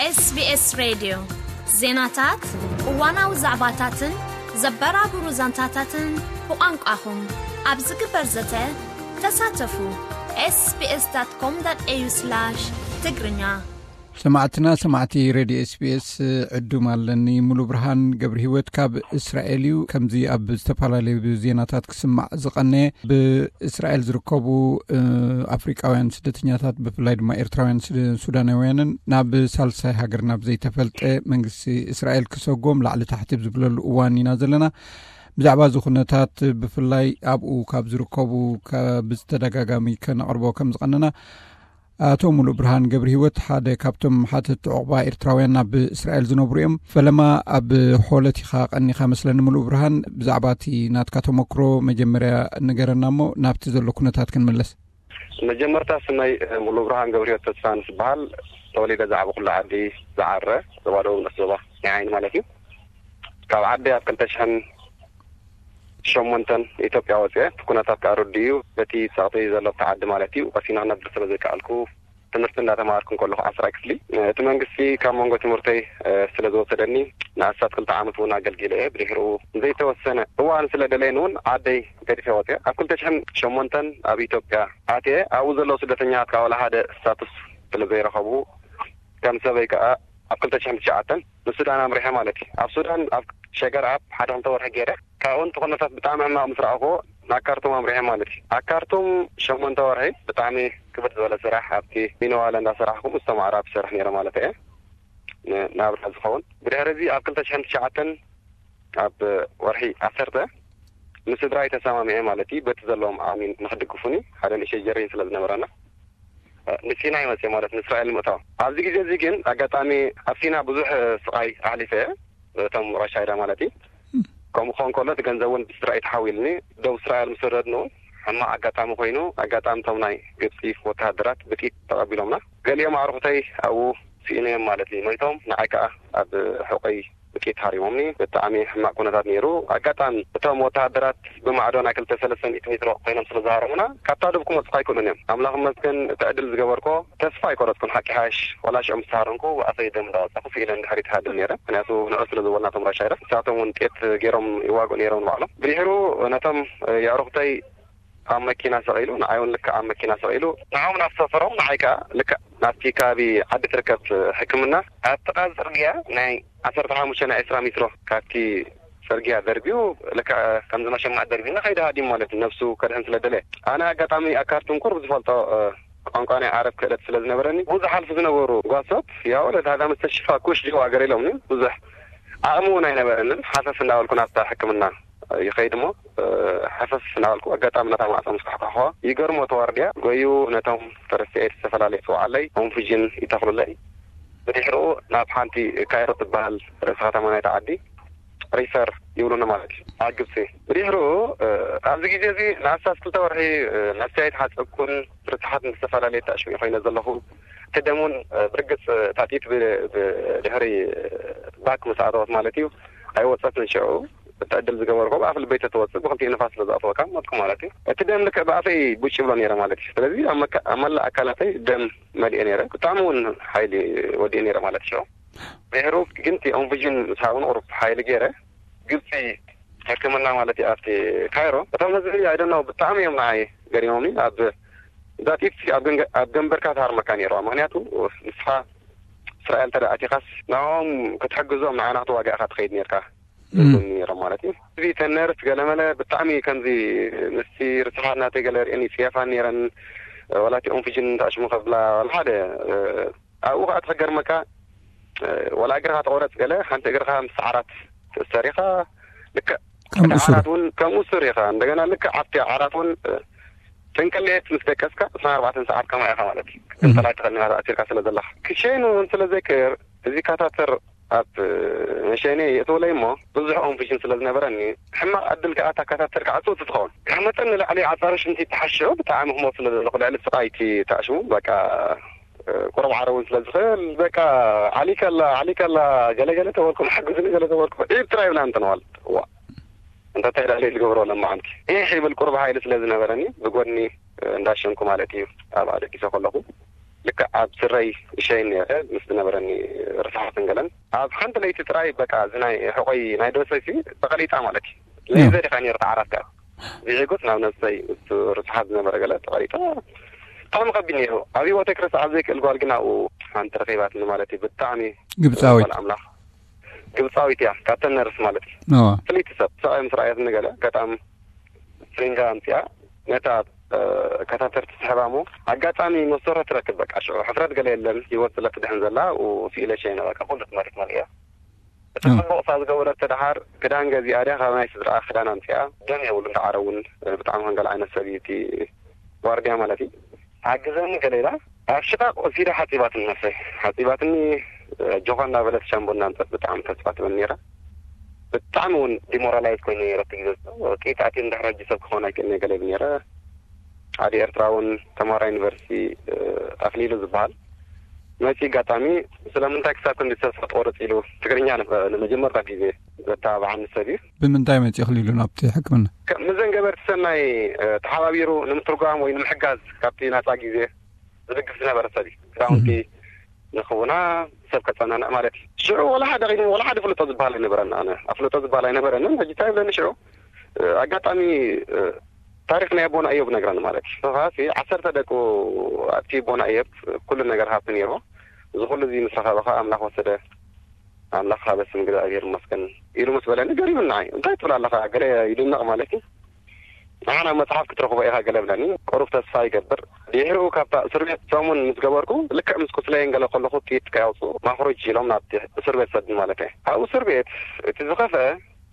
SBS ሬድዮ ዜናታት፣ እዋናዊ ዛዕባታትን ዘበራብሩ ዛንታታትን ብቋንቋኹም ኣብ ዝግበር ዘተ ተሳተፉ። ኤስቢኤስ ዳት ኮም ዳት ኤዩ ስላሽ ትግርኛ። ሰማዕትና፣ ሰማዕቲ ሬድዮ ኤስቢኤስ፣ ዕዱም ኣለኒ። ሙሉ ብርሃን ገብረ ህይወት ካብ እስራኤል እዩ። ከምዚ ኣብ ዝተፈላለዩ ዜናታት ክስማዕ ዝቐነየ፣ ብእስራኤል ዝርከቡ፣ እ፣ ኣፍሪቃውያን ስደተኛታት፣ ብፍላይ ድማ ኤርትራውያን ስደ-፣ ሱዳናውያንን ናብ ሳልሳይ ሃገር፣ ናብ ዘይተፈልጠ መንግስቲ እስራኤል ክሰጎም ላዕሊ ታሕቲ ኣብ ዝብለሉ እዋን ኢና ዘለና። ብዛዕባ እዚ ኩነታት፣ ብፍላይ ኣብኡ ካብ ዝርከቡ፣ ካብ ብዝተደጋጋሚ ከነቕርቦ ከም ዝቐነና፣ ኣቶ ሙሉእ ብርሃን ገብረ ህይወት ሓደ ካብቶም ሓተቲ ዑቕባ ኤርትራውያን ኣብ እስራኤል ዝነብሩ እዮም። ፈለማ ኣብ ሆለት ኢኻ ቀኒኻ መስለኒ ሙሉእ ብርሃን፣ ብዛዕባ እቲ ናትካ ተመክሮ መጀመርያ ንገረና እሞ ናብቲ ዘሎ ኩነታት ክንምለስ። መጀመርታ ስመይ ሙሉእ ብርሃን ገብረ ህይወት ተስፋ ንስበሃል። ተወሊደ ዛዕባ ኩሉ ዓዲ ዝዓረ ዞባ ደቡብ ንእስ ዞባ ናይ ዓይኒ ማለት እዩ። ካብ ዓዲ ኣብ ክልተ ሽሕን ሸሞንተን ኢትዮጵያ ወፅኤ፣ እቲ ኩነታት ከዓ ርዱእ እዩ። በቲ ፀቕጢ ዘሎ ኣብቲ ዓዲ ማለት እዩ፣ ቀሲነ ክነብር ስለ ዘይከኣልኩ፣ ትምህርቲ እንዳተማሃርኩ እንከለኹ ዓስራይ ክፍሊ፣ እቲ መንግስቲ ካብ መንጎ ትምህርተይ፣ እ፣ ስለ ዝወሰደኒ፣ ንኣስታት ክልተ ዓመት እውን ኣገልጊለ እየ። ብድሕሪኡ ዘይተወሰነ እዋን ስለ ደለየኒ እውን ዓደይ ገዲፈ ወፅኤ። ኣብ ክልተ ሽሕን ሸሞንተን ኣብ ኢትዮጵያ ኣትየ። ኣብኡ ዘለዉ ስደተኛታት ከዓ ዋላ ሓደ ስታቱስ ስለ ዘይረኸቡ፣ ከም ሰበይ ከዓ ኣብ ክልተ ሽሕን ትሽዓተን ንሱዳን ኣምሪሐ ማለት እዩ። ኣብ ሱዳን ኣብ ሸገር ኣብ ሓደ ክልተ ወርሒ ገይረ። ካብኡ እቲ ኩነታት ብጣዕሚ ሕማቕ ምስ ረኣኹዎ ናብ ካርቱም ኣምሪሐ ማለት እዩ። ኣብ ካርቱም ሸሞንተ ወርሒ ብጣዕሚ ክብድ ዝበለ ስራሕ ኣብቲ ሚነዋለ እንዳሰራሕኩ ምስቶም ኣዕራብ ዝሰርሕ ነይረ ማለት እየ። ን-፣ ናብራ ዝኸውን። ብድሕሪ እዚ ኣብ ክልተ ሽሕን ትሽዓተን ኣብ ወርሒ ዓሰርተ ምስ ስድራይ ተሰማሚዐ ማለት እዩ። በቲ ዘለዎም ዓቕሚ ንኽድግፉኒ ሓደ ንእሽተይ ጀሪን ስለ ዝነበረና፣ እ፣ ንሲናይ መፅእ ማለት ንእስራኤል ንምእታው። ኣብዚ ግዜ እዚ ግን ኣጋጣሚ ኣብ ሲና ብዙሕ፣ እ፣ ስቓይ ኣሕሊፈ እየ፣ እቶም ራሻይዳ ማለት እዩ። ከምኡ ክኸውን ከሎ እቲ ገንዘብ እውን ብስድራይ ተሓዊልኒ። ደቡብ እስራኤል ምስ ወረድኑ እውን ሕማቕ ኣጋጣሚ ኮይኑ፣ ኣጋጣሚ እቶም ናይ ግብፂ ወተሃደራት ብጥይት ተቐቢሎምና። ገሊኦም ኣዕሩኽተይ ኣብኡ ስኢነዮም ማለት እዩ፣ ሞይቶም። ንዓይ ከዓ ኣብ ሕቆይ ብጥይት ሃሪሞምኒ። ብጣዕሚ ሕማቕ ኩነታት ነይሩ። ኣጋጣሚ እቶም ወተሃደራት ብማዕዶ ናይ ክልተ ሰለስተ ሚእቲ ሜትሮ ኮይኖም ስለ ዝሃረሙና፣ ካብታ ዶብ ክመጹ ኣይክእሉን እዮም። ኣምላኽ ይመስገን፣ እቲ ዕድል ዝገበርኮ ተስፋ ኣይቆረጽኩን። ሓቂ ሓሽ፣ ወላ ሽዑ ምስ ተሃረምኩ፣ ብኣፈይ ደም እንዳወጻኹ ስኢነ ንድሕሪት ይሃድም ነይረ። ምክንያቱ ንዑ ስለ ዝበሉና እቶም ራሻይዳ፣ ንሳቶም እውን ጥየት ገይሮም ይዋግኡ ነይሮም ንባዕሎም። ብድሕሩ ነቶም የዕሩኽተይ ኣብ መኪና ሰቒሉ፣ ንዓይ እውን ልክዕ ኣብ መኪና ሰቒሉ፣ ንዓኦም ናብ ሰፈሮም፣ ንዓይ ከኣ ልክዕ ናብቲ ከባቢ ዓዲ ትርከብ ሕክምና፣ ኣብ ጥቓ ጽርግያ ናይ ዓሰርተ ሓሙሽተ ናይ ዕስራ ሜትሮ ካብቲ ጽርግያ ደርቢዩ፣ ልክዕ ከምዚ መሸማዕ ደርቢዩ ንኸይዲ ሃዲሙ ማለት እዩ፣ ነብሱ ከድሕን ስለ ደለየ። ኣነ ኣጋጣሚ ኣብ ካርቱም ቁሩብ ዝፈልጦ፣ እ፣ ቋንቋ ናይ ዓረብ ክእለት ስለ ዝነበረኒ፣ ብዙሕ ሓልፉ ዝነበሩ ጓሶት፣ "ያ ወለድ፣ ሀዛ መስተሽፋ ኩሽ ጅዋ" ገለ ኢሎምኒ። ብዙሕ ዓቕሚ እውን ኣይነበረንን። ሓፈፍ እንዳበልኩ ናብታ ሕክምና ይኸይድ እሞ፣ እ፣ ሓፈፍ እናበልኩ ኣጋጣሚ ነታ ማዕጾ ምስ ኳሕኳሕኩዋ፣ ይገርሞ ተዋርድያ፣ ጎዩ ነቶም ተረሲዐ ዝተፈላለየ ጽውዓለይ፣ ኦንፍጅን ይተኽሉለይ። ብድሕሪኡ ናብ ሓንቲ ካይሮ ትበሃል ርእሲ ከተማ ናይታ ዓዲ ሪፈር ይብሉኒ ማለት እዩ፣ ኣብ ግብጺ። ብድሕሪኡ፣ እ፣ ኣብዚ ግዜ እዚ ንኣስታት ክልተ ወርሒ፣ እ፣ ነብሰይ ኣይተሓጸብኩን፣ ርትሓት ዝተፈላለየ ተኣሽሙ ኮይነ ዘለኹ። እቲ ደም እውን፣ እ፣ ብርግጽ፣ እ፣ ታጢት ብ-፣ ብ-፣ ድሕሪ፣ እ፣ ባክ ምስ ኣተወት ማለት እዩ፣ ኣይወጸትን ሽዑ። እቲ ዕድል ዝገበርኩ ብኣፍ ልበይ ተተወጽእ ብክልቲኡ ንፋስ ስለ ዝኣተወካ ሞትኩ ማለት እዩ። እቲ ደም ልክዕ ብኣፈይ ቡጭ ይብሎ ነይረ ማለት እዩ። ስለዚ ኣብ መካ-፣ ኣብ መላእ ኣካላተይ ደም መሊኤ ነይረ። ብጣዕሚ እውን ሓይሊ ወዲኤ ነይረ ማለት እዩ። ድሕሩ ግን እቲ ኦንቪዥን ምስ ሃቡን ቁሩብ ሓይሊ ገይረ ግብፂ ሕክምና ማለት እዩ ኣብቲ ካይሮ። እቶም ህዝቢ ኣይደናው ብጣዕሚ እዮም ንዓይ ገሪሞምኒ። ኣብ ዛጢት ኣብ ገንገ-፣ ኣብ ገንበርካ ትሃርመካ ነይርዋ። ምክንያቱ ንስኻ እስራኤል እንተ ደኣ ኣቲኻስ ንዕኦም ክትሕግዞም ንዓና ክትዋጋእካ ትኸይድ ነይርካ። እም። ይብሉኒ ነይሮም ማለት እዩ። እዚ ተን ነርስ ገለመለ ብጣዕሚ ከምዚ ምስቲ ርስሓት ናተይ ገለ ርእየን ይፅየፋን ነይረን። ዋላ እቲ ኦንፊጅን ተኣሽሙ ከብላ ዋላ ሓደ፣ እ፣ ኣብኡ ከዓ ትሕገርመካ፣ እ፣ ዋላ እግርኻ ተቆረፅ ገለ ሓንቲ እግርኻ ምስ ዓራት ትእሰር ኢኻ። ልክዕ ከም እቲ እሱር። ዓራት እውን ከም እሱር ኢኻ። እንደገና ልክዕ ኣብቲ ዓራት እውን፣ እ፣ ተንቀሌት ምስ ደቀስካ ዕስራን ኣርባዕተን ሰዓት ከማ ኢኻ ማለት እዩ። እም። ክትንፈላ ኣይትኽእልን ኢኻ ተኣሲርካ ስለ ዘለኻ። ክሸይኑ እውን ስለ ዘይክእል እዚ ካታተር ኣብ መሸኔ የእትውለይ እሞ ብዙሕ ኦንፊሽን ስለ ዝነበረኒ ሕማቕ ዕድል ከኣ እታ ካታተር ክዓጽው ትኸውን። ካብ መጠን ንላዕሊ ዓጻሪ ሽንቲ ተሓሽዑ ብጣዕሚ ክሞት ስለ ዘለኹ ልዕሊ ስቓይ እቲ ተኣሽሙ በቃ ቁሩብ ዓረውን ስለ ዝኽእል በቃ ዓሊከላ ዓሊከላ ገለገለ ተበልኩም ሓግዙኒ ገለ ተበልኩም ዒብ ጥራይ ይብላ እንተነዋል። እዋ እንተ እንታይ ዳለ ዝገብሮ ለማዓንቲ ኢሕ ይብል ቁሩብ ሓይሊ ስለ ዝነበረኒ ብጎድኒ እንዳሸንኩ ማለት እዩ ኣብ ኣደጊሰ ከለኹ ልክዕ ኣብ ስረይ እሸይን ነይረ ምስ ዝነበረኒ ርሱሓትን ገለን። ኣብ ሓንቲ ለይቲ ጥራይ በቃ እዚ ናይ ሕቆይ ናይ ደሰይሲ ተቐሊጣ ማለት እዩ። ሌዘር ኢኻ ነይሩ ተዓራት ከኣ። ብዒጉት ናብ ነብሰይ እሱ ርሱሓት ዝነበረ ገለ ተቐሊጣ። ብጣዕሚ ከቢድ ነይሩ። ኣብ ህይወተይ ክርስዓ ዘይክእል ጓል ግን ኣብኡ ሓንቲ ረኺባትኒ ማለት እዩ። ብጣዕሚ ግብጻዊት። ጓል ኣምላኽ። ግብጻዊት እያ። ካብተን ነርስ ማለት እዩ። እዋ። ፍልይቲ ሰብ። ሰብኣይ ምስ ረኣየትኒ ገለ ኣጋጣሚ ስሪንጋ ኣምጺኣ ነታ፣ እ፣ ካታተር ትስሕባ እሞ ኣጋጣሚ መሰረት ትረክብ። በቃ ሽዑ ሕፍረት ገለ የለን። ህይወት ስለ ትድሕን ዘላ፣ ኡ፣ ስኢለ ሸይነ በቃ ኩሉ ትመርት መሪያ። እቲ እም። ጽቡቕ እሳ ዝገበረት ደሓር ክዳን ገዚኣ ድያ ካብ ናይ ስድራኣ ክዳን ኣምጺኣ። ደም የብሉን ደዓረ እውን፣ እ፣ ብጣዕሚ ከንገል ዓይነት ሰብ እዩ እቲ ዋርድያ ማለት እዩ። ሓግዘኒ ገለ ኢላ ኣብ ሽቓቕ ወሲዳ ሓጺባትኒ ነብሰይ። ሓጺባትኒ፣ እ፣ ጆኻ እንዳበለት ሻምቦ እንዳምጸት ብጣዕሚ ተስፋ ትበኒ ነይራ። ብጣዕሚ እውን ዲሞራላይዝ ኮይኑ ነይረ እቲ ግዜ። ጥይት ኣትዩ እንድሕር ሕጂ ሰብ ክኸውን ኣይክእልን እየ ገለ ይብል ነይረ። ሓደ ኤርትራውን ተምሃራይ ዩኒቨርሲቲ፣ እ፣ ኣኽሊሉ ዝበሃል መጺኡ ኣጋጣሚ ስለምንታይ ክሳብ ክንዲ ተስፋ ትቖርጽ ኢሉ ትግርኛ ን-፣ ንመጀመርታ ግዜ ዘተባብዓኒ ሰብ እዩ። ብምንታይ መጺኡ ኣኽሊሉ ናብቲ ሕክምና? ከ-፣ ምስዘን ገበርቲ ሰናይ፣ እ፣ ተሓባቢሩ ንምትርጓም ወይ ንምሕጋዝ ካብቲ ናጻ ግዜ ዝድግፍ ዝነበረ ሰብ እዩ። ክዳውንቲ እህ። ንኽውና ሰብ ከጸናንዕ ማለት እዩ። ሽዑ ወላ ሓደ ኺኑ ወላ ሓደ ፍልጦ ዝበሃል ኣይነበረን። ኣነ ኣፍልጦ ዝበሃል ኣይነበረንን። ሕጂ እንታይ ይብለኒ ሽዑ፣ እ፣ ኣጋጣሚ፣ እ፣ ታሪኽ ናይ ኣቦና እዮብ ነግረኒ ማለት እዩ። ንስኻ ሲ ዓሰርተ ደቁ ኣጥፊኡ ኣቦና እዮብ ኩሉ ነገር ሃብቲ ነይርዎ። እዚ ኩሉ እዚ ምስ ረኸበ ኸኣ ኣምላኽ ወሰደ። ኣምላኽ ሃበ ስም እግዚኣብሔር ይመስገን ኢሉ ምስ በለኒ ገሪሙኒ ንዓይ። እንታይ ትብል ኣለኻ? ገለ ይድነቕ ማለት እዩ። ንዓና መጽሓፍ ክትረኽቦ ኢኻ ገለ ብለኒ። ቁሩብ ተስፋ ይገብር። ድሕሪኡ ካብታ እስር ቤት ሰሙን ምስ ገበርኩ፣ ልክዕ ምስ ቁስለይን ገለ ከለኹ ጥይት ከያውፅኡ ማኽሮጅ ኢሎም ናብቲ እስር ቤት ሰዱኒ ማለት እየ። ኣብኡ እስር ቤት እቲ ዝኸፍአ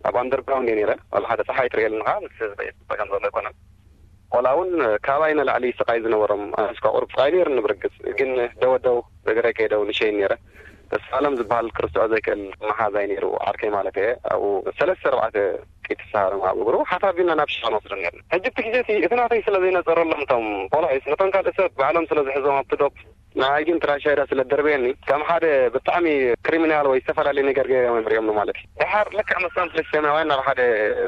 ኣብ ኣንደርግራውንድ እየ ነይረ። ዋላ ሓደ ፀሓይ ትርእየሉ ኢኻ፣ ምስ ህዝቢ እየ ዝፀገም ዘሎ ኣይኮነን። ቆልዓ እውን ካባይ ንላዕሊ ስቓይ ዝነበሮም፣ ኣነስ እኳ ቁሩብ ስቓይ ነይሩኒ ብርግጽ፣ ግን ደወደው እግረይ ከይደው ንሸይን ነይረ። ተስፋለም ዝበሃል ክርስዖ ዘይክእል መሓዛይ ነይሩ፣ ዓርከይ ማለት እየ። ኣብኡ ሰለስተ ኣርባዕተ ጥይት ተሰሃሮም ኣብ እግሩ ሓፍ ኣቢልና ናብ ሽቓ ንወስዶ ነይርና። ሕጂ እቲ ግዜ እቲ፣ እቲ ናተይ ስለ ዘይነጸረሎም እቶም ፖላይስ፣ ነቶም ካልእ ሰብ ባዕሎም ስለ ዝሕዞም ኣብቲ ዶብ፣ ንዓይ ግን ትራሻይዳ ስለ ደርበየኒ፣ ከም ሓደ ብጣዕሚ ክሪሚናል ወይ ዝተፈላለየ ነገር ገይሮም እዮም ሪኦምኒ ማለት እዩ። ደሓር ልክዕ ምስቶም ፍልስጤማውያን ናብ ሓደ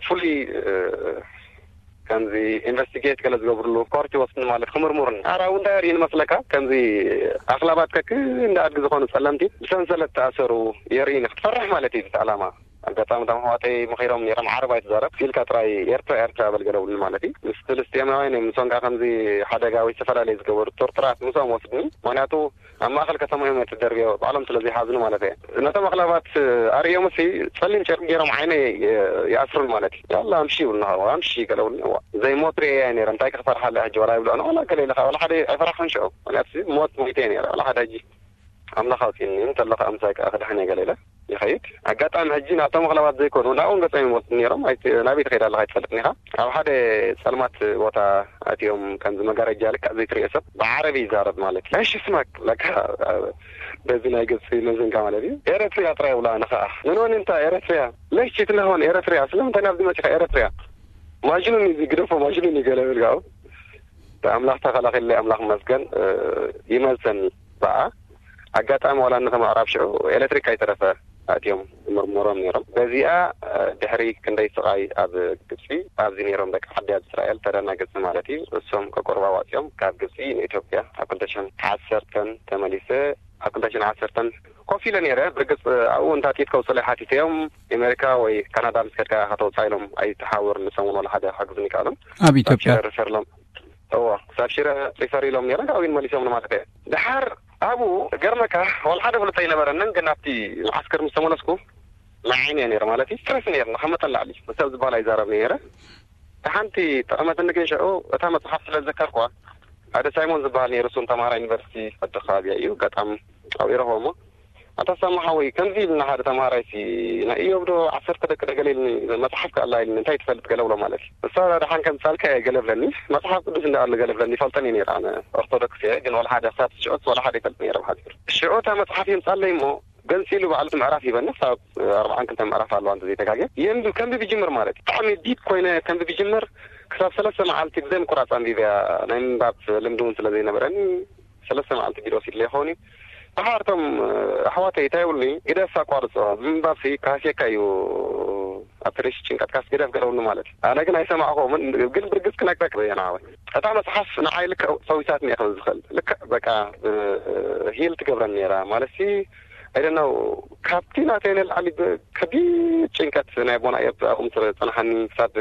ፍሉይ፣ እ፣ ከምዚ ኢንቨስቲጌት ገለ ዝገብርሉ ኮርት ይወስድኒ ማለት ክምርሙርኒ። ኣራ እውን እንታይ ኣርእዩ ንመስለካ? ከምዚ ኣኽላባት ከክ እንደ ኣድጊ ዝኾኑ ጸለምቲ ብሰንሰለት ተኣሰሩ የርእዩኒ። ክትፈርሕ ማለት እዩ እቲ ዕላማ። ኣጋጣሚ እቶም ኣሕዋተይ መኺሮም ነይሮም፣ ዓረብ ኣይትዛረብ፣ ኢልካ ጥራይ ኤርትራ፣ ኤርትራ በል ገለውኒ ማለት እዩ። ምስ ፍልስጤማውያን እዮም፣ ንሶም ከኣ ከምዚ ሓደጋ ወይ ዝተፈላለየ ዝገበሩ ቶርትራት ምስኦም ወስድኒ። ምኽንያቱ ኣብ ማእከል ከተማ እዮም እቲ ደርብዮ፣ ባዕሎም ስለ ዘይሓዝኑ ማለት እየ። ነቶም ኣኽላባት ኣርእዮምሲ ጸሊም ጨርቂ ገይሮም ዓይነይ ይኣስሩኒ ማለት እዩ። ያላ ኣምሺ ይብሉኒ፣ ኣምሺ ገለውኒ። እዋ፣ ዘይሞት ርእየ እየ ነይረ፣ እንታይ ክፈርሓለ ሕጂ? ዋላ ይብልዑኒ፣ ዋላ ገለ ኢለ፣ ዋላ ሓደ ኣይፈራሕኩን ሽዑ። ምኽንያቱ ሞት ሞይተ እየ ነይረ፣ ዋላ ሓደ ሕጂ። ኣምላኽ ኣውጺእኒ እንተሎ ከኣ ምሳይ ከኣ ክድሕን እየ ገለ ኢለ ይኸይድ። ኣጋጣሚ ሕጂ ናብቶም ኣኽላባት ዘይኮኑ ናብኦም ገጾም ይወስዱ ነይሮም። ኣይቲ-፣ ናበይ ትኸይድ ኣለኻ ኣይትፈልጥን ኢኻ። ኣብ ሓደ ጸልማት ቦታ ኣትዮም ከምዚ መጋረጃ ልክዕ ዘይትርእዮ ሰብ ብዓረቢ ይዛረብ ማለት እዩ። እሺ ስማክ ለካ በዚ ናይ ግብጺ መዝንጋ ማለት እዩ። ኤረትሪያ ጥራይ ይብላ ንኸኣ። ምን ሆን እንታ ኤረትሪያ? ለሽ ትነሆን ኤረትሪያ? ስለምንታይ ናብዚ መጺኻ ኤረትሪያ? ማጅኑን እዩ ግደፎ ማጅኑን እዩ ገለ ይብል ከኣ። ኣምላኽ ተኸላኺልለይ ኣምላኽ ይመስገን፣ እ፣ ይመልሰኒ። በኣ ኣጋጣሚ ዋላ እነተ ምዕራብ ሽዑ ኤሌክትሪክ ኣይተረፈ ኣትዮም ይምርምሮም ነይሮም። በዚኣ፣ እ፣ ድሕሪ ክንደይ ስቓይ ኣብ ግብጺ ኣብዚ ነይሮም ደቂ ዓዲ ኣብ እስራኤል ተደናገጽቲ ማለት እዩ። እሶም ከቁርባ ዋጽዮም ካብ ግብጺ ንኢትዮጵያ ኣብ ክልተ ሽሕን ዓሰርተን ተመሊሰ ኣብ ክልተ ሽሕን ዓሰርተን ኮፍ ኢለ ነይረ። ብርግጽ ኣብኡ እንታ ጥይት ከውጽለይ ሓቲተዮም፣ ኣሜሪካ ወይ ካናዳ ምስ ከድካ ኢኻ ተውጽኣ ኢሎም ኣይተሓውር ንሶም እውን ዋላ ሓደ ክሕግዙኒ ይከኣሎም። ኣብ ኢትዮጵያ? ሽረ ሪፈር ኢሎም። እዎ፣ ክሳብ ሽረ ሪፈር ኢሎም ነይረ፣ ካብኡ መሊሶም ማለት እየ። ደሓር ኣብኡ ገርመካ ዋላ ሓደ ፍልጦ ኣይነበረንን፣ ግን ናብቲ መዓስከር ምስ ተመለስኩ ንዓይኒ እየ ነይረ ማለት እዩ። ስትረስ ነይረ፣ ካብ መጠን ላዕሊ። ሰብ ዝበሃል ኣይዛረብን ነይረ። ሓንቲ ጠቐመትኒ ግን ሽዑ እታ መጽሓፍ ስለ ዝዘከርኩዋ፣ ሓደ ሳይሞን ዝበሃል ነይሩ፣ እሱን ተምሃራይ ዩኒቨርሲቲ ዓዲ ከባቢ እዩ፣ ኣጋጣሚ ኣብኡ ረኸቦ እሞ፣ "ኣታ ሳሙ ሓወይ፣ ከምዚ ኢልና ሓደ ተምሃራይ ሲ ናይ ኢዮብ ዶ ዓሰርተ ደቂ ዶ ገለ ኢልኒ፣ መጽሓፍ ከ ኣላ ኢልኒ፣ እንታይ ትፈልጥ?" ገለ ብሎ ማለት እዩ። ንሳ ደሓን ከምጻልካ እየ ገለ ብለኒ፣ መጽሓፍ ቅዱስ እንዳ ኣሎ ገለ ብለኒ፣ ይፈልጠን እዩ ነይረ፣ ኣነ ኦርቶዶክስ እየ፣ ግን ወላ ሓደ ክሳብ ሽዑስ ወላ ሓደ ይፈልጥ ነይረ ብሓጺሩ። ሽዑ እታ መጽሓፍ የምጻለይ እሞ፣ ገንጺሉ ባዕሉ እቲ ምዕራፍ ሂበኒ፣ ክሳብ ኣርብዓን ክልተን ምዕራፍ ኣለዋ እንተ ዘይተጋግየ። የንብብ፣ ከንብብ ይጅምር ማለት እዩ። ብጣዕሚ ዲፕ ኮይነ ከንብብ ይጅምር፣ ክሳብ ሰለስተ መዓልቲ ብዘይ ምቁራጽ ኣንቢበያ፣ ናይ ምንባብ ልምዲ እውን ስለ ዘይነበረኒ፣ ሰለስተ መዓልቲ ቢሮ ወሲድለይ ይኸውን እዩ። ደሓር እቶም ኣሕዋተይ እንታይ ይብሉኒ፣ ግደፍ ኣቋርጾ፣ ምንባብሲ ክሃስየካ እዩ፣ ኣብቲ ርእሲ ጭንቀትካስ ግደፍ ገለውኒ ማለት እዩ። ኣነ ግን ኣይሰማዕኹምን፣ ግን ብርግጽ ክነግረካ እየ ንዓወይ። እታ መጽሓፍ ንዓይ ልክዕ ፈዊሳትኒ እየ ክብል ዝኽእል። ልክዕ በቃ፣ እ፣ ሂል ትገብረኒ ነይራ። ማለትሲ I don't know፣ ካብቲ ናተይ ንላዕሊ ብ-፣ ከቢድ ጭንቀት ናይ ኣቦና እዮብ ኣብኡ ምስ ጸንሓኒ፣ ክሳብ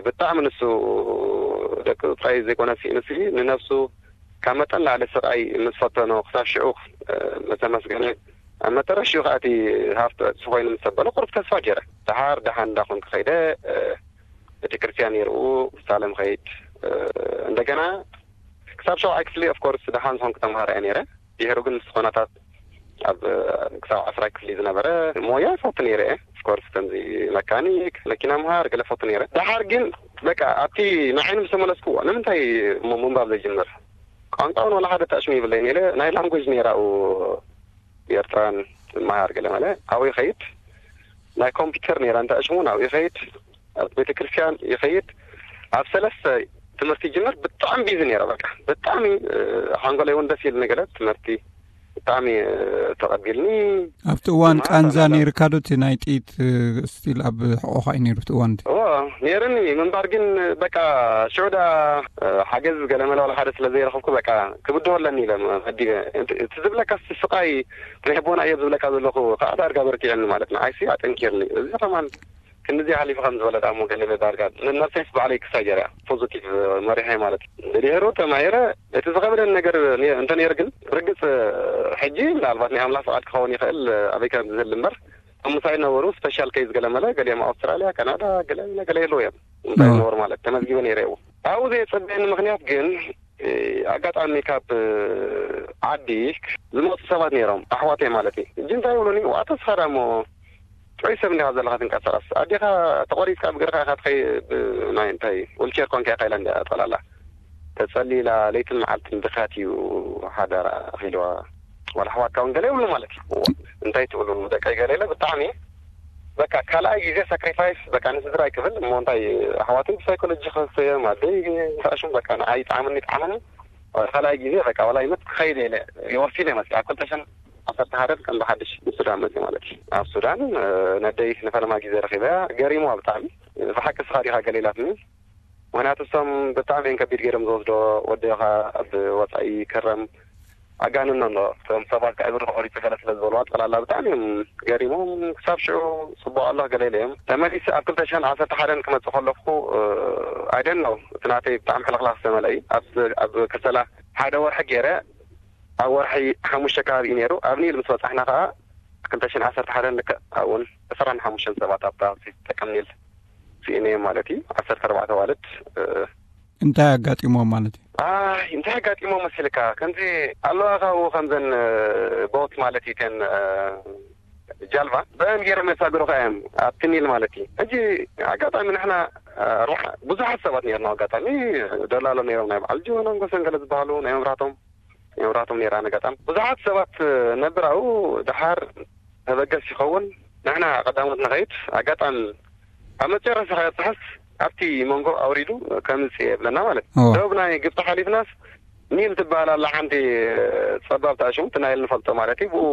ብጣዕሚ ንሱ ደቂ ጥራይ ዘይኮነ ስኢኑሲ፣ ንነብሱ ካብ መጠን ላዕሊ ስቓይ ምስ ፈተኖ፣ ክሳብ ሽዑ፣ እ፣ ምስ ኣመስገነ፣ ኣብ መጠረሽኡ ከኣ እቲ ሃፍቲ ዕጽፊ ኮይኑ ምስ ተበሎ፣ ቁሩብ ተስፋ ገይረ። ደሓር ደሓን እንዳኾንኩ ከይደ፣ እ፣ ቤተክርስትያን ይርኡ፣ ሳለም ኸይድ፣ እ፣ እንደገና ክሳብ ሸውዓይ ክፍሊ፣ ኦፍ ኮርስ፣ ደሓን ዝኾንኩ ተምሃራይ እየ ነይረ። ድሕሩ ግን ምስ ኾነታት ኣብ ክሳብ ዓስራይ ክፍሊ ዝነበረ ሞያ ይፈቱ ነይረ እየ። ኦፍ ኮርስ፣ ከምዚ መካኒክ፣ መኪና ምሃር፣ ገለ ፈቱ ነይረ። ደሓር ግን በቃ ኣብቲ ንዓይ ምስ ተመለስኩዎ፣ ንምንታይ እሞ ምንባብ ዘይጅምር? ቋንቋ እውን ዋላ ሓደ ተዕሽሙ ይብለይ ነይረ። ናይ ላንጉጅ ነይራ ኣብኡ ኤርትራን ዝመሃር ገለ መለ። ኣብኡ ይኸይድ። ናይ ኮምፒውተር ነይራ እንተ ዕሽሙ ናብኡ ይኸይድ። ኣብ ቤተክርስትያን ይኸይድ። ኣብ ሰለስተ ትምህርቲ ይጅምር። ብጣዕሚ ቢዚ ነይረ። በቃ ብጣዕሚ፣ እ፣ ሓንጎለይ እውን ደስ ኢሉ ነገለ ትምህርቲ ብጣዕሚ፣ እ፣ ተቐቢልኒ። ኣብቲ እዋን ድማ ቃንዛ ሰላም። ነይርካ ዶ? እቲ ናይ ጥይት፣ እ፣ ስቲል ኣብ ሕቖኻ እዩ ነይሩ እቲ እዋን እቲ? እዎ፣ ነይርኒ። ምንባር ግን በቃ ሽዑ ደኣ፣ እ፣ ሓገዝ ገለ መለ ዋላ ሓደ ስለ ዘይረኸብኩ በቃ ክብድሆ ኣለኒ ኢለ መዲበ። እቲ፣ እቲ ዝብለካ ስቃይ ናይ ኣቦና እዮብ ዝብለካ ዘለኹ ከዓ ዳርጋ በርቲዕኒ ማለት ንዓይሲ ኣጠንኪርኒ። እዚ ከማን ክንድዚ ሓሊፉ ከም ዝበለ ደኣ እሞ ገለ ዳርጋ ንነብሰይስ ባዕለይ ክሳይ ገይረ እያ ፖዚቲቭ መሪሐ ማለት እዩ። ድሕሩ ተማሂረ እቲ ዝኸበደኒ ነገር ነ-፣ እንተ ነይሩ ግን ርግጽ ሕጂ ምናልባት ናይ ኣምላኽ ፍቓድ ክኸውን ይኽእል ኣበይ ከም ዝህል እምበር ኣብ ምሳይ ነበሩ ስፔሻል ኬዝ ገለ መለ ገሊኦም ኣውስትራልያ፣ ካናዳ ገለ ገለ የለዉ እዮም። ምሳይ ኦ። ዝነበሩ ማለት ተመዝጊበ ነይረ እዎ። ኣብኡ ዘየጸበየኒ ምኽንያት ግን እ፣ ኣጋጣሚ ካብ፣ እ፣ ዓዲ ዝመፁ ሰባት ነይሮም፣ ኣሕዋተይ ማለት እዩ። ሕጂ እንታይ ይብሉኒ፣ "ዋ፣ ተስፋ ዳሞ ጥዑይ ሰብ እንዲኻ ዘለኻ ትንቀሳቐስ። ኣዴኻ ተቖሪፅካ ብእግርኻ ኢኻ ትኸይ-፣ ብ-፣ ናይ እንታይ፣ ዊልቸር ኮንካ ኢኻ" ኢላ እንዲያ ጠላላ። "ተጸሊላ ለይትን መዓልትን ድኻት እዩ ሓዳራ" ኢልዋ። ዋላ ኣሕዋትካ እውን ገለ ይብሉ ማለት እዩ። "እዋ፣ እንታይ ትብሉ ደቀይ?" ገለ ኢለ ብጣዕሚ በቃ ካልኣይ ግዜ ሳክሪፋይስ በቃ ንስድራይ ክብል እሞ እንታይ ኣሕዋተይ ብሳይኮሎጂ ከስተዮም ኣደይ ተኣሽም በቃ ንዓይ ይጥዓመኒ ይጥዓመኒ። ካልኣይ ግዜ በቃ ዋላ ይመት ክኸይድ ኢለ ይወሲነ መፅእ ኣብ ክልተ ሽሕን ዓሰርተ ሓደን ከም ብሓድሽ ንሱዳን መፅእ ማለት እዩ። ኣብ ሱዳን፣ እ፣ ነደይ ንፈለማ ግዜ ረኺበያ ገሪሙዋ ብጣዕሚ። "ብሓቂ ንስኻ ዲኻ?" ገለ ኢላትኒ። ምኽንያቱ እሶም ብጣዕሚ እዮም ከቢድ ገይሮም ዝወስዶ። ወደኻ ኣብ ወፃኢ ክረም ኣጋንኖ ኣሎ። እቶም ሰባት ከዕብር ክቆሪፁ ገለ ስለ ዝበልዋ ጠላላ ብጣዕሚ እዮም ገሪሞም። ክሳብ ሽዑ ፅቡቅ ኣሎ ገለ ኢለ እዮም። ተመሊሰ ኣብ ክልተ ሽሕን ዓሰርተ ሓደን ክመፅእ ከለኹ፣ እ፣ I don't know፣ እቲ ናተይ ብጣዕሚ ሕልኽላኽ ዝተመልአ እዩ። ኣብ፣ ኣብ ከሰላ ሓደ ወርሒ ገይረ፣ ኣብ ወርሒ ሓሙሽተ ከባቢ እዩ ነይሩ። ኣብ ኒል ምስ በፃሕና ከዓ ክልተ ሽሕን ዓሰርተ ሓደን ልክዕ ኣብኡን ዕስራን ሓሙሽተን ሰባት ኣብታ ተጠቀም ኒል ስኢነ እዮም ማለት እዩ። ዓሰርተ ኣርባዕተ ኣዋልድ፣ እ፣ እንታይ ኣጋጢሞም ማለት እዩ? ኣይ፣ እንታይ ኣጋጢሞም መሲልካ? ከምዚ ኣለዋ ካብኡ ከምዘን፣ እ፣ ቦት ማለት እዩ፣ እተን፣ እ፣ ጃልባ፣ በአን ገይሮም የሳግሩኻ እዮም፣ ኣብቲ ኒል ማለት እዩ። ሕጂ ኣጋጣሚ ንሕና፣ እ፣ ኣርባዓ፣ ብዙሓት ሰባት ነይርና፣ ኣጋጣሚ ደላሎ ነይሮም፣ ናይ በዓል ጅወናን ጎሰን ገለ ዝበሃሉ፣ ናይ መብራህቶም፣ ናይ መብራህቶም ነይራ፣ ኣጋጣሚ ብዙሓት ሰባት፣ እ፣ ነብር ኣብኡ። ደሓር ተበገስ ይኸውን። ንሕና ቀዳሞት ንኸይድ። ኣጋጣሚ ኣብ መጨረሻ ከየብፅሐስ ኣብቲ መንጎ ኣውሪዱ ከምፅእ የብለና ማለት እዩ። እዎ። ደቡብ ናይ ግብፂ ሓሊፍናስ ኒል ትበሃል ኣላ ሓንቲ ፀባብ ተኣሽሙ፣ እቲ ናይል ንፈልጦ ማለት እዩ። ብኡ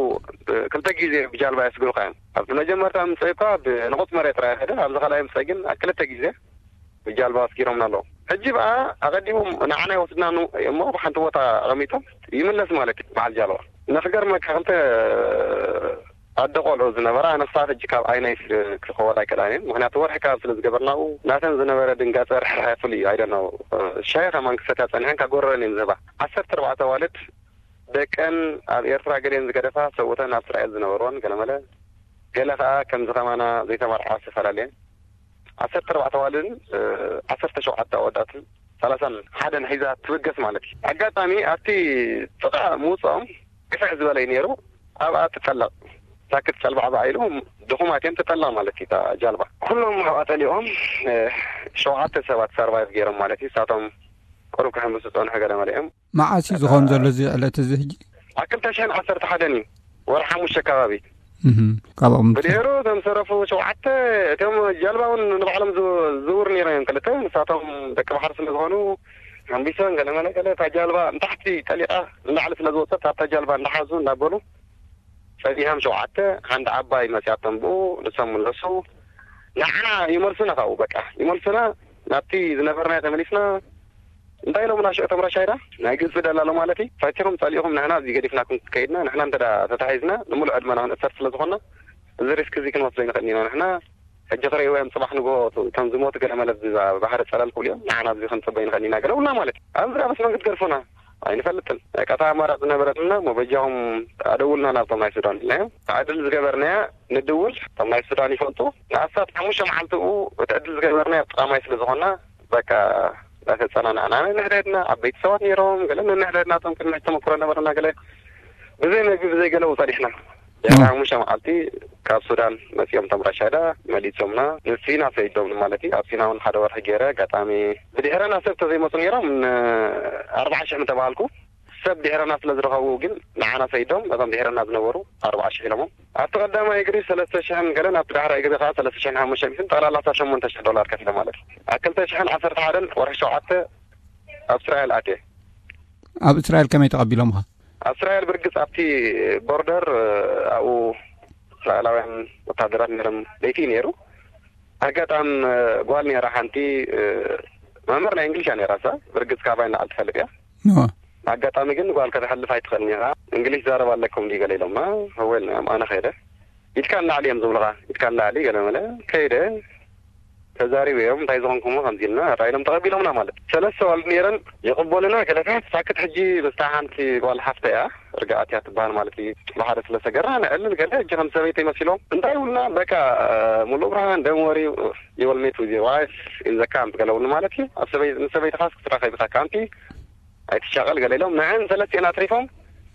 ክልተ ግዜ ብጃልባ የስግሩካ እዮም። ኣብቲ መጀመርታ ምፅእ እኳ ብንቑፅ መሬት ጥራይ ኸደ፣ ኣብዚ ካልኣይ ምፅእ ግን ኣብ ክልተ ግዜ ብጃልባ ኣስጊሮምና ኣለዉ። ሕጂ በኣ ኣቐዲሞም ንዓና ይወስድና ኑ-፣ እሞ ኣብ ሓንቲ ቦታ ኣቐሚጦም ይምለስ ማለት እዩ በዓል ጃልባ። ንኽገርመካ ክልተ ኣደ ቆልዑ ዝነበራ ኣነስታት ሕጂ ካብ ዓይነይ ክኸወላ ኣይክእላን እየን። ምኽንያቱ ወርሒ ካብ ስለ ዝገበርናኡ ናተን ዝነበረ ድንጋጸ ርሕራሐ ፍሉይ እዩ። ኣይደነው ሻሂ ከማን ክሰትያ ጸኒሐን ካብ ጎረረን እየን ዝህባ። ዓሰርተ ኣርባዕተ ኣዋልድ ደቀን ኣብ ኤርትራ ገሊአን ዝገደፋ ሰብኡተን ኣብ እስራኤል ዝነበርወን ገለመለ ገለ ከኣ ከምዚ ከማና ዘይተመርዓ ዝተፈላለየን ዓሰርተ ኣርባዕተ ኣዋልድን እ፣ ዓሰርተ ሸውዓተ ኣወዳትን ሰላሳን ሓደን ሒዛ ትብገስ ማለት እዩ። ኣጋጣሚ ኣብቲ ጥቓ ምውፅኦም ግፍሕ ዝበለ እዩ ነይሩ። ኣብኣ ትጠለቕ ሳክት ጨልባዕባዕ ኢሉ ድኹማት እዮም ትጠለቕ ማለት እዩ እታ ጃልባ። ኩሎም ኣብኣ ጠሊቖም እ፣ ሸውዓተ ሰባት ሰርቫይቭ ገይሮም ማለት እዩ። ንሳቶም ቁሩብ ክሕምሱ ዝፀንሑ ገለ መለ እዮም። መዓስ እዩ ዝኸውን ዘሎ እዚ ዕለት እዚ ሕጂ? ኣብ ክልተ ሽሕን ዓሰርተ ሓደን እዩ ወርሒ ሓሙሽተ ከባቢ። እህ፣ ካብ ኣቕምቲ። ብድሕሩ እቶም ዝተረፉ ሸውዓተ እቶም ጀልባ እውን ንባዕሎም ዝው-፣ ዝውር ነይሮም እዮም ክልተ። ንሳቶም ደቂ ባሕሪ ስለ ዝኾኑ ሓምቢሶም ገለ መለ ገለ እታ ጃልባ ንታሕቲ ጠሊቓ ንላዕሊ ስለ ዝወፀት ኣብታ ጃልባ እንዳሓዙ እንዳበሉ ጸኒሖም ሸውዓተ ሓንቲ ዓባይ መፅያቶም ብኡ ንሶም ምለሱ። ንዓና ይመልሱና ካብኡ በቃ ይመልሱና ናብቲ ዝነበርናዮ ተመሊስና እንታይ ኢሎምና ሽዑ እቶም ራሻይዳ? ናይ ግብፂ ደላሎ ማለት እዩ። ፈቲኹም ጸሊእኹም ንሕና እዚ ገዲፍናኩም ከይድና፣ ንሕና እንተ ተታሒዝና ንምሉእ ዕድመና ክንእሰር ስለ ዝኾንና፣ እዚ ሪስክ እዚ ክንወስዶ ይንኽእል ኢና። ንሕና ሕጂ ክርእይዎ እዮም፣ ጽባሕ ንግሆ ከም ዝሞቱ ገለ መለ ኣብዚ ባሕሪ ጸለል ክብሉ እዮም። ንዓና ኣብዚ ክንጽበ ይንኽእል ኢና ገለ ብሉና ማለት እዩ። ኣብዚ ደኣ በስ መን ክትገድፉና? ኣይንፈልጥን። በቃ እታ ኣማራጺ ዝነበረትና እሞ በጃኹም ኣደውልና ናብቶም ናይ ሱዳን ኢልናዮም። ዕድል ዝገበርናያ ንድውል፣ እቶም ናይ ሱዳን ይፈልጡ። ንኣስታት ሓሙሽተ መዓልቲ ብኡ እቲ ዕድል ዝገበርናዮ ኣብ ጥቓ ማይ ስለ ዝኾንና፣ በቃ እናተጸናናዕና ነንሕድሕድና፣ ዓበይቲ ሰባት ነይሮም፣ ገለ ነንሕድሕድና እቶም ቅድሚ ሕጂ ተመክሮ ነበረና፣ ገለ ብዘይ መግቢ ብዘይ ገለ ጸኒሕና። ድሕሪ ሓሙሽተ መዓልቲ ካብ ሱዳን መጺኦም እቶም ራሻይዳ መሊሶምና። ንሲና ሰይዶም ማለት እዩ። ኣብ ሲና እውን ሓደ ወርሒ ገይረ። ኣጋጣሚ ብድሕረና ሰብ ተዘይመጹ ነይሮም፣ ን-፣ ኣርብዓ ሽሕ ምተባሃልኩ። ሰብ ድሕረና ስለ ዝረኸቡ ግን ንዓና ሰይዶም፣ ነቶም ድሕረና ዝነበሩ ኣርብዓ ሽሕ ኢሎሞም። ኣብቲ ቀዳማይ እግሪ ሰለስተ ሽሕን ገለን፣ ኣብቲ ዳሕራይ እግሪ ከኣ ሰለስተ ሽሕን ሓሙሽተ ሚእትን፣ ጠቕላላ ኣስታት ሸሞንተ ሽሕ ዶላር ከፊሎም ማለት እዩ። ኣብ ክልተ ሽሕን ዓሰርተ ሓደን ወርሒ ሸውዓተ ኣብ እስራኤል ኣትየ። ኣብ እስራኤል ከመይ ተቐቢሎምኻ? ኣብ እስራኤል ብርግጽ ኣብቲ ቦርደር፣ ኣብኡ እስራኤላውያን ወታደራት ነይሮም። ለይቲ እዩ ነይሩ። ኣጋጣሚ ጓል ነይራ ሓንቲ፣ መምህር ናይ እንግሊሽ እያ ነይራ እሳ። ብርግጽ ካባይ ንላዕሊ ትፈልጥ እያ። እዋ። ኣጋጣሚ ግን ጓል ከተሕልፍ ኣይትኽእልን ኢኻ። እንግሊሽ ዛረብ ኣለኩም ድዩ ገለ ኢሎምና። እወ ኢልናዮም። ኣነ ከይደ። ኢድካ ንላዕሊ እዮም ዝብሉኻ። ኢድካ ንላዕሊ ገለ መለ። ከይደ። ተዛሪበዮም፣ እንታይ ዝኾንኩሞ ከምዚ ኢልና፣ ራኢሎም ተቐቢሎምና ማለት። ሰለስተ ኣዋልድ ነይረን፣ ይቕበሉና ገለታት። ሳክት ሕጂ ምስታ ሓንቲ ጓል ሓፍተ እያ፣ ርግኣት እያ ትበሃል ማለት እዩ። ብሓደ ስለ ሰገርና ነዕልል ገለ፣ ሕጂ ከም ሰበይቲ ይመሲሎም። እንታይ ይብሉና፣ በቃ፣ ሙሉእ ብርሃን፣ don't worry, you will meet with your wife in the camp ገለ ይብሉኒ ማለት እዩ። ኣብ ሰበይ-፣ ምስ ሰበይትኻስ ክትራኸብ ኢኻ ካምፕ፣ ኣይትሻቐል ገለ ኢሎም። ንዐን ሰለስቲኤን ኣትሪፎም፣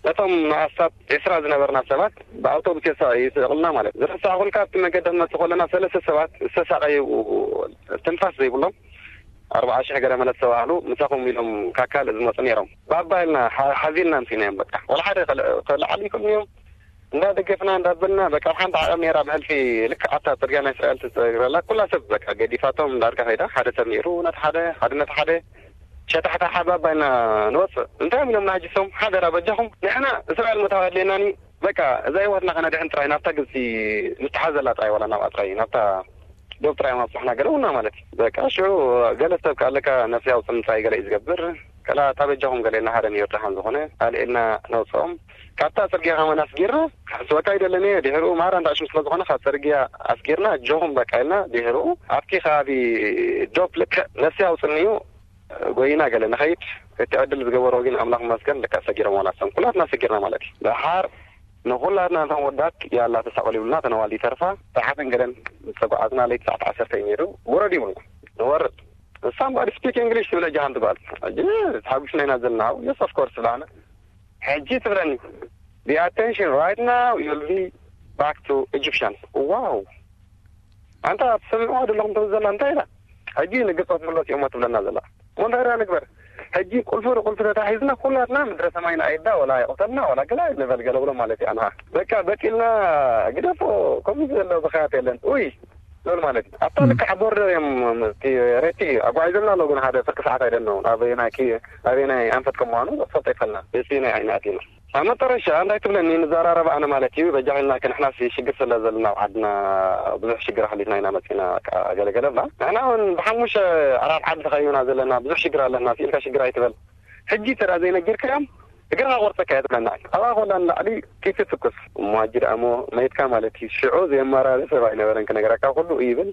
ነቶም ንኣስታት ዒስራ ዝነበርና ሰባት ብኣውቶቡስ የሳ-፣ ይስእቕልና ማለት እዩ። ዝረሳዕኹልካ ኣብቲ መገዲ ክንመጽእ ከለና ሰለስተ ሰባት ዝተሳቐዩ ትንፋስ ዘይብሎም ኣርብዓ ሽሕ ገለ መለት ዝተባህሉ ምሳኹም ኢሎም ካብ ካልእ ዝመጹ ነይሮም። ባባ ኢልና ሓ-፣ ሓዚልና ኣምጺእናዮም በቃ። ወላ ሓደ ከል-፣ ከለዓሉ ይኽእሉ እዮም። እንዳደገፍና እንዳበልና በቃ ኣብ ሓንቲ ዓቐብ ነይራ ብሕልፊ ልክዕ ኣብታ ጽርግያ ናይ እስራኤል ትጸግረላ ኩላ ሰብ በቃ ገዲፋቶም ዳርጋ ከይዳ ሓደ ሰብ ነይሩ ነቲ ሓደ ሓደ ነቲ ሓደ ሸታሕታ ሓባባ ኢና ንወፅእ። እንታይ እዮም ኢሎም ንሃጅሶም? ሓደራ በጃኹም ንሕና እስራኤል ምእታው ኣድልየናኒ። በቃ እዛ ህይወትና ከነድሕን ጥራይ ናብታ ግብፂ ንተሓዘላ ጥራይ ዋላ ናብኣ ጥራይ ናብታ ዶብ ጥራይ ማብፅሕና ገለ ውና ማለት እዩ። በቃ ሽዑ ገለ ሰብ ከኣለካ ነፍሲ ኣውፅእ ምፃይ ገለ እዩ ዝገብር። ከላ እታ በጃኹም ገለ ኢልና ሓደ ነይሩ ደሓን ዝኾነ ኣልዒልና ነውፅኦም። ካብታ ፅርግያ ከማን ኣስጊርና ክሕስወካ ይደለኒ እየ። ድሕሪኡ ማራ እንዳሽም ስለ ዝኾነ ካብ ፅርግያ ኣስጊርና ጆኹም በቃ ኢልና ድሕሪኡ ኣብቲ ከባቢ ዶብ ልክዕ ነፍሲ ኣውፅእኒ እዩ። ጎይና ገለ ንኸይድ እቲ ዕድል ዝገበሮ ግን ኣምላኽ ይመስገን ደቂ ኣሰጊሮም ዋላ ሰም ኩላትና ኣሰጊርና ማለት እዩ። ደሓር ንኹላትና እቶም ወዳት ያላ ተሳቐሉ ይብሉና ተነዋል ይተርፋ። ሰዓትን ገለን ዝተጓዓዝና ለይቲ ሰዓት ዓሰርተ እዩ ነይሩ። ውረድ ይብሉና ንወርድ። እሳም ባዲ ስፒክ እንግሊሽ ትብል እጃ ሓንቲ ጓል ሕጂ ተሓጒስና ኢና ዘለና። የስ ኦፍ ኮርስ ብላና ሕጂ ትብለኒ the attention right now you'll be back to Egyptians። ዋው ኣንታ ትሰምዕዋ ዘለኹም ትብል ዘላ እንታይ ኢላ? ሕጂ ንግብፂ ክትምለስ እዮም ትብለና ዘላ። እሞ እንታይ ዳ ንግበር? ሕጂ ቁልፊ ንቁልፊ ተታሒዝና ኩላትና ምድረ ሰማይ ንኣይዳ ወላ ይቕተልና ወላ ገላ ንበል ገለ ብሎ ማለት እዩ። ኣንሃ በቃ በጢልና ግደፎ። ከምዚ ዘሎ ብኽያት የለን። ኡይ ዝብል ማለት እዩ። ኣብታ ልክዕ ቦርደር እዮም እቲ ሬቲ ኣጓዒዞምና ኣለዉ። ግን ሓደ ፍርቂ ሰዓት ኣይደነውን ኣበየናይ ኣበየናይ ኣንፈት ከም ምዃኑ ፈልጦ ይፈልና። እቲ ናይ ዓይኒ ኣቲና ኣብ መጠረሻ እንታይ ትብለኒ ንዘራረብ ኣነ ማለት እዩ። በጃኺልና ከ ንሕናስ ሽግር ስለ ዘለና ኣብ ዓድና ብዙሕ ሽግር ኣሕሊፍና ኢና መፂና። ኣገለገለ ብላ ንሕና እውን ብሓሙሽተ ኣራት ዓዲ ተኸቢብና ዘለና ብዙሕ ሽግር ኣለና ኢልካ ሽግር ኣይትበል። ሕጂ ተዳ ዘይነጊርካዮም እግርኻ ቆርፀካ እየ ትብለና። ኣብኣ ኮላ ንላዕሊ ኪቲ ትኩስ እሞ ሕጂ ደኣ እሞ መይትካ ማለት እዩ። ሽዑ ዘየማራሪ ሰብ ኣይነበረን ክነግረካ ኩሉ ይብል።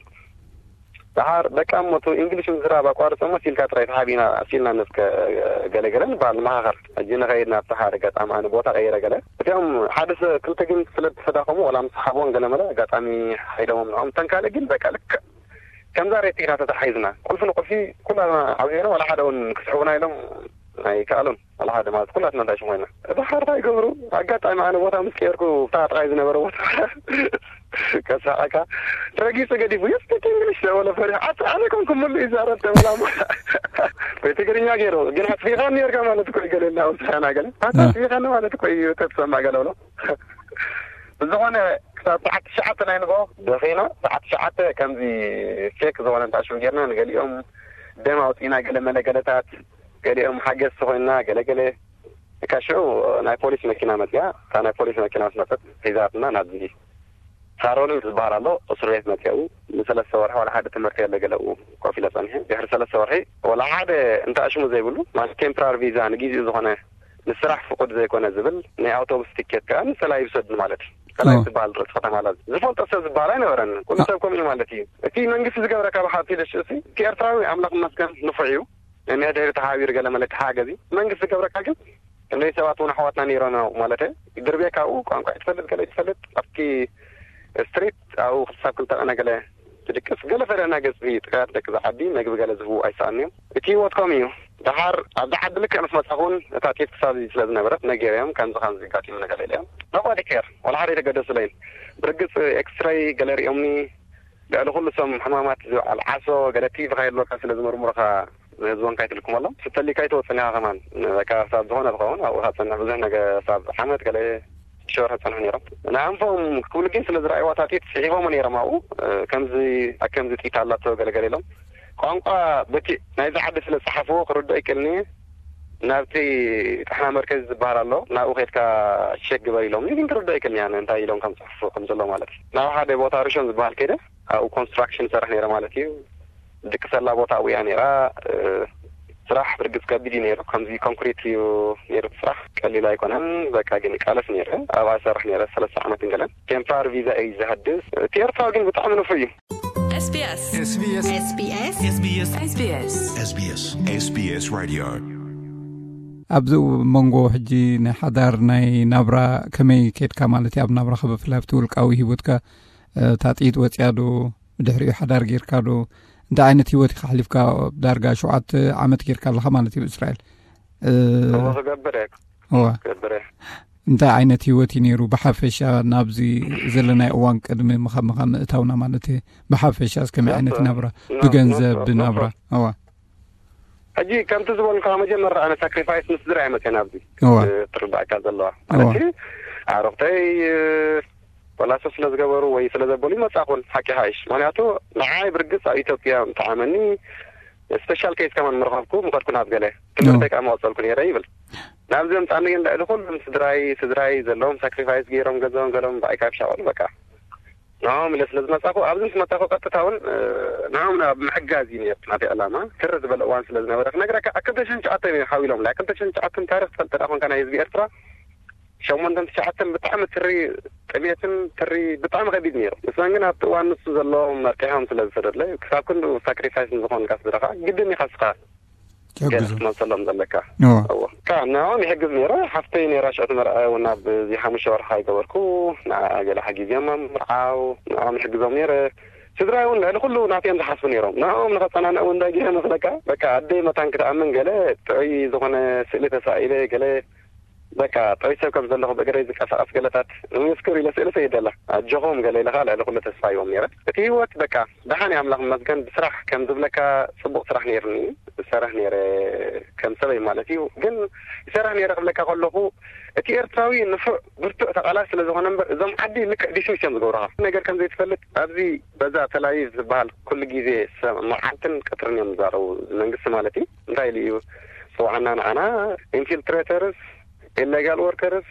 ደሓር በቃ እሞ እቲ እንግሊሽ ምዝራብ ኣቋርጾ እሞ ሲልካ ጥራይ ተሓቢና ሲልና ነስከ ገለገለ ንበሃል ንመኻኸር። ሕጂ ንኸይድ ናብቲ ሓደ ኣጋጣሚ ኣነ ቦታ ቀይረ ገለ እቲኦም ሓደ ሰ-፣ ክልተ ግን ስለ ዝተዳኸሙ ዋላ ምስ ሓቦን ገለመለ ኣጋጣሚ ሓይዶሞም ንዖም እተን ካልእ ግን በቃ ልክዕ ከምዛ ሬት ኢና ተታሓሒዝና። ቁልፊ ንቁልፊ ኩላና ዓብዜና ዋላ ሓደ እውን ክስሕቡና ኢሎም ኣይከኣሉን። ዋላ ሓደ ማለት ኩላትና እንታይ ሽም ኮይና። ደሓር እንታይ ይገብሩ? ኣጋጣሚ ኣነ ቦታ ምስ ቀየርኩ፣ ብታ ጥራይ ዝነበረ ቦታ ከሳቐካ። ረጊጹ ገዲፉ፣ "You speak English?" ተበለ ፈሪሑ። ኣት-፣ ኣነ ኮንኩ ምሉእ ይዛረብ ተበላ እሞ። ወይ ትግርኛ ገይሩ፣ ግን ኣጥፊእኻኒ ኔርካ ማለት እኮ እዩ ገለ ኢልና ወሳና ገለ። ኣታ እ። ኣጥፊእኻኒ ማለት እኮ እዩ ተትሰማዕ ገለ ብሎ። ብዝኾነ ክሳብ ሰዓት ትሽዓተ ናይ ንግሆ ደኺና፣ ሰዓት ትሽዓተ ከምዚ ፌክ ዝኾነ እንታይ ሽም ጌርና፣ ንገሊኦም ደም ኣውጺእና፣ ገለ መለ ገለታት፣ ገሊኦም ሓገዝቲ ኮይንና፣ ገለ ገለ። እካ ሽዑ ናይ ፖሊስ መኪና መጽያ፣ እታ ናይ ፖሊስ መኪና ምስ መጸት ሒዛትና ናብዚ ሳሮን ዝበሃል ኣሎ፣ እስር ቤት መፅኡ ንሰለስተ ወርሒ ዋላ ሓደ ትምህርቲ የለ ገለኡ ኮፍ ኢለ ፀኒሐ። ድሕሪ ሰለስተ ወርሒ ዋላ ሓደ እንተ ኣሽሙ ዘይብሉ፣ ማለት ቴምፖራሪ ቪዛ፣ ንጊዜኡ ዝኾነ ንስራሕ ፍቁድ ዘይኮነ ዝብል ናይ ኣውቶቡስ ቲኬት ከዓ ንፀላኢ ይውሰድኒ ማለት እዩ። ፀላኢ ዝበሃል ርእሲ ከተማ ላዝ ዝፈልጦ ሰብ ዝበሃል ኣይነበረን። ኩሉ ሰብ ከምኡ እዩ ማለት እዩ። እቲ መንግስቲ ዝገብረካ ብሓፊ ደሽ እቲ ኤርትራዊ ኣምላኽ ይመስገን ንፉዕ እዩ። ነንሕድሕሪ ተሓቢሩ ገለ መለ ተሓገዚ መንግስቲ ዝገብረካ ግን፣ ክንደይ ሰባት እውን ኣሕዋትና ነይሮም እዮም ማለት ድርቤ ካብኡ ቋንቋ ትፈልጥ ገለ ትፈልጥ ኣብቲ ስትሪት ኣብኡ ክሳብ ክልተ ቀነ ገለ ትድቅስ። ገለ ፈለና ገጽ ጥቃት ደቂ ዝዓዲ መግቢ ገለ ዝህቡ ኣይሰኣን እዮም። እቲ ህይወት ከምኡ እዩ። ደሓር ኣብዚ ዓዲ ልክዕ ምስ መጻኹ እውን እታ ጤፍ ክሳብ ስለ ዝነበረት ነጊረዮም፣ ከምዚ ከምዚ ኣጋጢሙ ነገር ኢለዮም። ናብኡ ዲኬር ዋላ ሓደ የተገደሱለይን። ብርግጽ ኤክስሬይ ገለ ሪኦምኒ። ልዕሊ ኩሉ እሶም ሕማማት ዝበዓል ዓሶ ገለ ቲቪ ካየልወካ ስለ ዝምርምሩኻ ንህዝቦም ካይትልኩም ኣሎ። ስተሊካ ይትወፅን ኢኻ ከማን። በቃ ሳብ ዝኾነ ዝኸውን ኣብኡ ካብ ፀንሕ ብዙሕ ነገር ሳብ ዓመት ገለ ሽወር ከፀንሑ ነይሮም። ንኣንፎም ክብሉ ግን ስለ ዝረኣይዋ ታጢት ፅሒፎሞ ነይሮም ኣብኡ። ከምዚ ኣከምዚ ጢት ኣላቶ ገለገለ ኢሎም ቋንቋ በቲ ናይዚ ዓዲ ስለ ዝፀሓፍዎ ክርድኦ ይክእልኒ። ናብቲ ጥሕና መርከዚ ዝበሃል ኣሎ ናብኡ ከድካ ሸክ ግበር ኢሎም ግን ክርድኦ ይክእልኒ ኣነ እንታይ ኢሎም ከም ፅሕፉ ከም ዘሎ ማለት እዩ። ናብ ሓደ ቦታ ርሾን ዝበሃል ከይደ ኣብኡ ኮንስትራክሽን ይሰርሕ ነይረ ማለት እዩ። ድቅሰላ ቦታ ኣብያ ነይራ። ስራሕ ብርግፅ ከቢድ እዩ ነይሩ። ከምዚ ኮንክሪት እዩ ነይሩ እቲ ስራሕ ቀሊል ኣይኮነን። በቃ ግን ይቃለስ ነይረ። ኣብኣ ይሰርሕ ነይረ ሰለስተ ዓመት እንገለን ቴምፖራሪ ቪዛ እዩ ዘህድስ። እቲ ኤርትራዊ ግን ብጣዕሚ ንፉዕ እዩ። SBS SBS SBS SBS SBS SBS SBS Radio ኣብዚ መንጎ ሕጂ ናይ ሓዳር ናይ ናብራ ከመይ ከድካ ማለት እዩ ኣብ ናብራኻ ብፍላይ ኣብቲ ውልቃዊ ሂወትካ ታጥኢት ወፅያ ዶ ብድሕሪኡ ሓዳር ጌርካ ዶ እንታይ ዓይነት ሂወት ኢኻ ኣሕሊፍካ ዳርጋ ሸውዓተ ዓመት ጌርካ ኣለኻ ማለት እዩ እስራኤል እዎ ክገብር እየ እወ ክገብር እየ እንታይ ዓይነት ሂወት እዩ ነይሩ ብሓፈሻ ናብዚ ዘለናይ እዋን ቅድሚ ምኻምኻ ምእታውና ማለት እየ ብሓፈሻ እስከመይ ዓይነት ናብራ ብገንዘብ ብናብራ እዋ ሕጂ ከምቲ ዝበልካ መጀመርታ ኣነ ሳክሪፋይስ ምስ ስድራ እየ መፅአ ናብዚ እዋ ትርዳእካ ዘለዋ ማለት ኣሮክተይ ወላሶ ስለ ዝገበሩ ወይ ስለ ዘበሉ ይመፃኹን ሓቂ ሓይሽ ምክንያቱ ንዓይ ብርግፅ ኣብ ኢትዮጵያ ምተዓመኒ ስፔሻል ኬስ ከማን ምረኸብኩ ምኸድኩ ናብ ገለ ትምህርተይ ከዓ መቐፀልኩ ነይረ ይብል ናብዚ ምፃኒ ግን ልዕሊ ኩሉም ስድራይ ስድራይ ዘለዎም ሳክሪፋይስ ገይሮም ገንዘቦም ገሎም ብኣይ ካብ ሻቐሉ በቃ ንዕኦም ኢለ ስለ ዝመፃኹ ኣብዚ ምስ መፃኹ ቀጥታ እውን ንዕኦም ኣብ ምሕጋዝ እዩ ነይሩ ናተይ ዕላማ ትር ዝበለ እዋን ስለ ዝነበረ ክነግረካ ኣብ ክልተ ሽሕን ትሽዓተን እዩ ሓዊሎም ኣብ ክልተ ሽሕን ትሽዓተን ታሪክ ትፈልጥ ደኣ ኮንካ ናይ ህዝቢ ኤርትራ ሸሞንተን ትሽዓተን ብጣዕሚ ትሪ ጥሜትን ትሪ ብጣዕሚ ከቢድ ነይሩ ንሶም ግን ኣብቲ እዋን ንሱ ዘለዎም መርቂሖም ስለ ዝሰደድለይ ክሳብ ክንድኡ ሳክሪፋይስ ንዝኾንካ ስድራኻ ግድን ኢኻ ስኻ ገለ ክትመልሰሎም ዘለካ እዎ እዎ ንዕኦም ይሕግዝ ነይረ ሓፍተይ ነይራ ሽዑ ትመርዐ እውን ኣብዚ ሓሙሽተ ወርሒ ከይገበርኩ ንኣ ገለ ሓጊዘዮም ምርዓው ንዕኦም ይሕግዞም ነይረ ስድራይ እውን ልዕሊ ኩሉ ናተዮም ዝሓስቡ ነይሮም ንዕኦም ንኸፀናንዕ እውን እንታይ ገይረ መስለካ በቃ ኣደይ መታን ክትኣምን ገለ ጥዑይ ዝኾነ ስእሊ ተሳኢለ ገለ በቃ ጥዑይ ሰብ ከም ዘለኹ ብእግረይ ዝንቀሳቐስ ገለታት ንምስክር ኢለ ስእሊ ሰይደላ ኣጆኹም ገለ ኢለ ከዓ ልዕሊ ኩሉ ተስፋ ይዎም ነይረ እቲ ህይወት በቃ ደሓን ኣምላኽ ይመስገን ብስራሕ ከም ዝብለካ ፅቡቕ ስራሕ ነይሩኒ ዝሰርሕ ነይረ ከም ሰበይ ማለት እዩ ግን ይሰርሕ ነይረ ክብለካ ከለኹ እቲ ኤርትራዊ ንፉዕ ብርቱዕ ተቓላሲ ስለ ዝኾነ እምበር እዞም ዓዲ ልክዕ ዲስሚስ እዮም ዝገብሩኻ ነገር ከም ዘይትፈልጥ ኣብዚ በዛ ተላቪቭ ዝበሃል ኩሉ ግዜ መዓልትን ቀትርን እዮም ዝዛረቡ መንግስቲ ማለት እዩ እንታይ ኢሉ እዩ ፅውዓና ንዓና ኢንፊልትሬተርስ ኢሌጋል ወርከርስ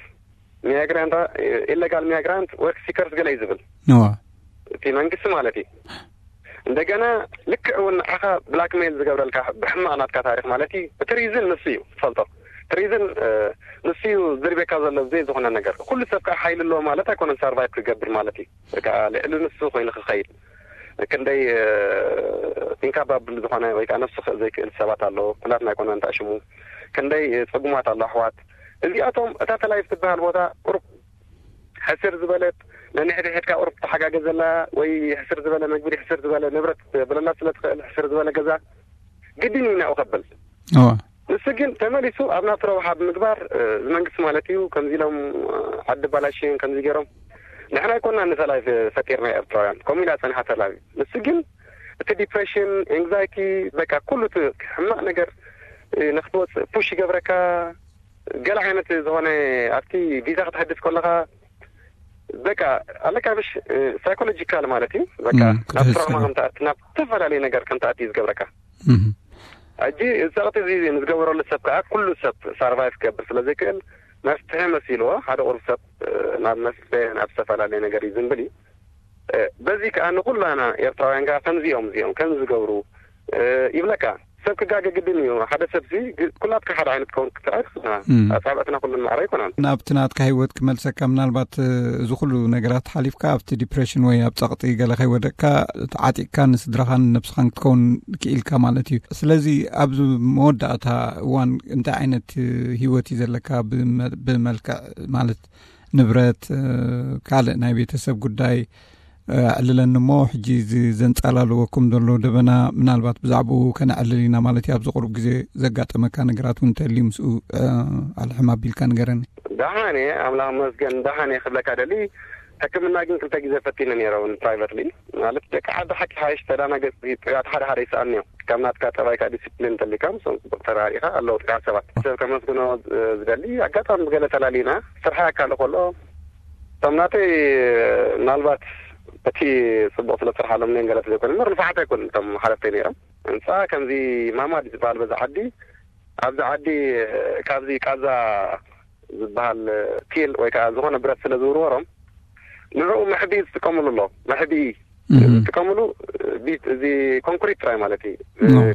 ሚያግራንት ኢሌጋል ሚያግራንት ወርክ ሲከርስ ገለ እዩ ዝብል እቲ መንግስቲ ማለት እዩ እንደገና ልክዕ እውን ንዓኻ ብላክሜል ዝገብረልካ ብሕማቕ ናትካ ታሪክ ማለት እዩ እቲ ሪዝን ንሱ እዩ ትፈልጦ እቲ ሪዝን ንሱ እዩ ዝርቤካ ዘሎ ብዘይ ዝኾነ ነገር ኩሉ ሰብ ከዓ ሓይሊ ኣለዎ ማለት ኣይኮነን ሳርቫይቭ ክገብር ማለት እዩ ከዓ ልዕሊ ንሱ ኮይኑ ክኸይድ ክንደይ ኢንካባብል ዝኾነ ወይ ከዓ ነፍሱ ክእ ዘይክእል ሰባት ኣለዎ ኩላትና ኣይኮነ እንታይ ሽሙ ክንደይ ፅጉማት ኣሎ ኣሕዋት እዚኣቶም እታ ተላይፍ ትበሃል ቦታ ቁሩብ ሕስር ዝበለት ነንሕድሕድካ ቁሩብ ተሓጋገዘላ ወይ ሕስር ዝበለ መግቢ ሕስር ዝበለ ንብረት ብለላ ስለ ትኽእል ሕስር ዝበለ ገዛ ግድን እዩ ናብኡ ከብል ንሱ ግን ተመሊሱ ኣብ ናቱ ረብሓ ብምግባር እዚ መንግስቲ ማለት እዩ ከምዚ ኢሎም ዓዲ ባላሽን ከምዚ ገይሮም ንሕና ኣይኮና ንሰላም ፈጢርና ኤርትራውያን ከምኡ ኢላ ፀኒሓ ሰላም እዩ ንሱ ግን እቲ ዲፕሬሽን ኤንግዛይቲ በቃ ኩሉ እቲ ሕማቕ ነገር ንክትወፅእ ፑሽ ይገብረካ ገለ ዓይነት ዝኾነ ኣብቲ ቪዛ ክትሕድስ ከለኻ በቃ ኣለካ ምሽ ሳይኮሎጂካል ማለት እዩ በቃ ናብ ትራውማ ከምትኣት ናብ ዝተፈላለዩ ነገር ከምትኣት እዩ ዝገብረካ ሕጂ ጸቕጢ እዚ ንዝገበረሉ ሰብ ከዓ ኩሉ ሰብ ሳርቫይቭ ክገብር ስለ ዘይክእል መፍትሒ መሲልዎ ሓደ ቁሩብ ሰብ ናብ መስተ ናብ ዝተፈላለየ ነገር እዩ ዝንብል እዩ በዚ ከዓ ንኩላና ኤርትራውያን ከዓ ከምዚኦም እዚኦም ከም ዝገብሩ ይብለካ። ሰብ ክጋገ ግድን እዩ። ሓደ ሰብሲ ኩላትካ ሓደ ዓይነት ከውን ክትርኣይ ትኽእልና። ኣጻብዕትና ኩሉ ማዕረ ኣይኮናን። ናብቲ ናትካ ህይወት ክመልሰካ፣ ምናልባት እዚ ኩሉ ነገራት ሓሊፍካ ኣብቲ ዲፕሬሽን ወይ ኣብ ጸቕጢ ገለ ከይወደቅካ፣ ተዓጢቕካ ንስድራኻን ነብስኻን ክትከውን ክኢልካ ማለት እዩ። ስለዚ ኣብዚ መወዳእታ እዋን እንታይ ዓይነት ህይወት እዩ ዘለካ? ብመ- ብመልክዕ ማለት ንብረት፣ ካልእ ናይ ቤተሰብ ጉዳይ ኣዕልለኒ እሞ፣ ሕጂ እዚ ዘንጻላለወኩም ዘሎ ደበና ምናልባት ብዛዕባኡ ከነዕልል ኢና ማለት እዩ። ኣብዚ ቁሩብ ግዜ ዘጋጠመካ ነገራት እውን እንተልዩ ምስኡ ኣልሕም ኣቢልካ ንገረኒ። ደሓን እየ፣ ኣምላኽ መስገን ደሓን እየ ክብለካ ደሊ። ሕክምና ግን ክልተ ግዜ ፈቲነ ነይረ እውን ፕራይቨትሊ። ማለት ደቂ ዓዲ ሓቂ ሓይሽ ተዳናገጽ ጥያት ሓደ ሓደ ይስኣልኒ እዮም። ካብ ናትካ ጠባይካ ዲሲፕሊን እንተሊካ ምስኦም ጽቡቅ ተራሪኻ ኣለዉ ጥያት ሰባት ሰብ ከመስግኖ ዝደሊ። ኣጋጣሚ ብገለ ተላሊና ስርሓ ኣካል ከሎ እቶም ናተይ ምናልባት እቲ ጽቡቅ ስለ ስርሓሎም ነን ገለ ዘይኮነ ምር ንፋዓት ኣይኮን እቶም ሓለፍተይ ነይሮም። ህንፃ ከምዚ ማማድ ዝበሃል በዛ ዓዲ ኣብዚ ዓዲ ካብዚ ቃዛ ዝበሃል ቲል ወይ ከዓ ዝኾነ ብረት ስለ ዝውርወሮም ንዕኡ መሕብኢ ዝጥቀምሉ ኣሎ። መሕብኢ ዝጥቀምሉ ቢት እዚ ኮንክሪት ጥራይ ማለት እዩ።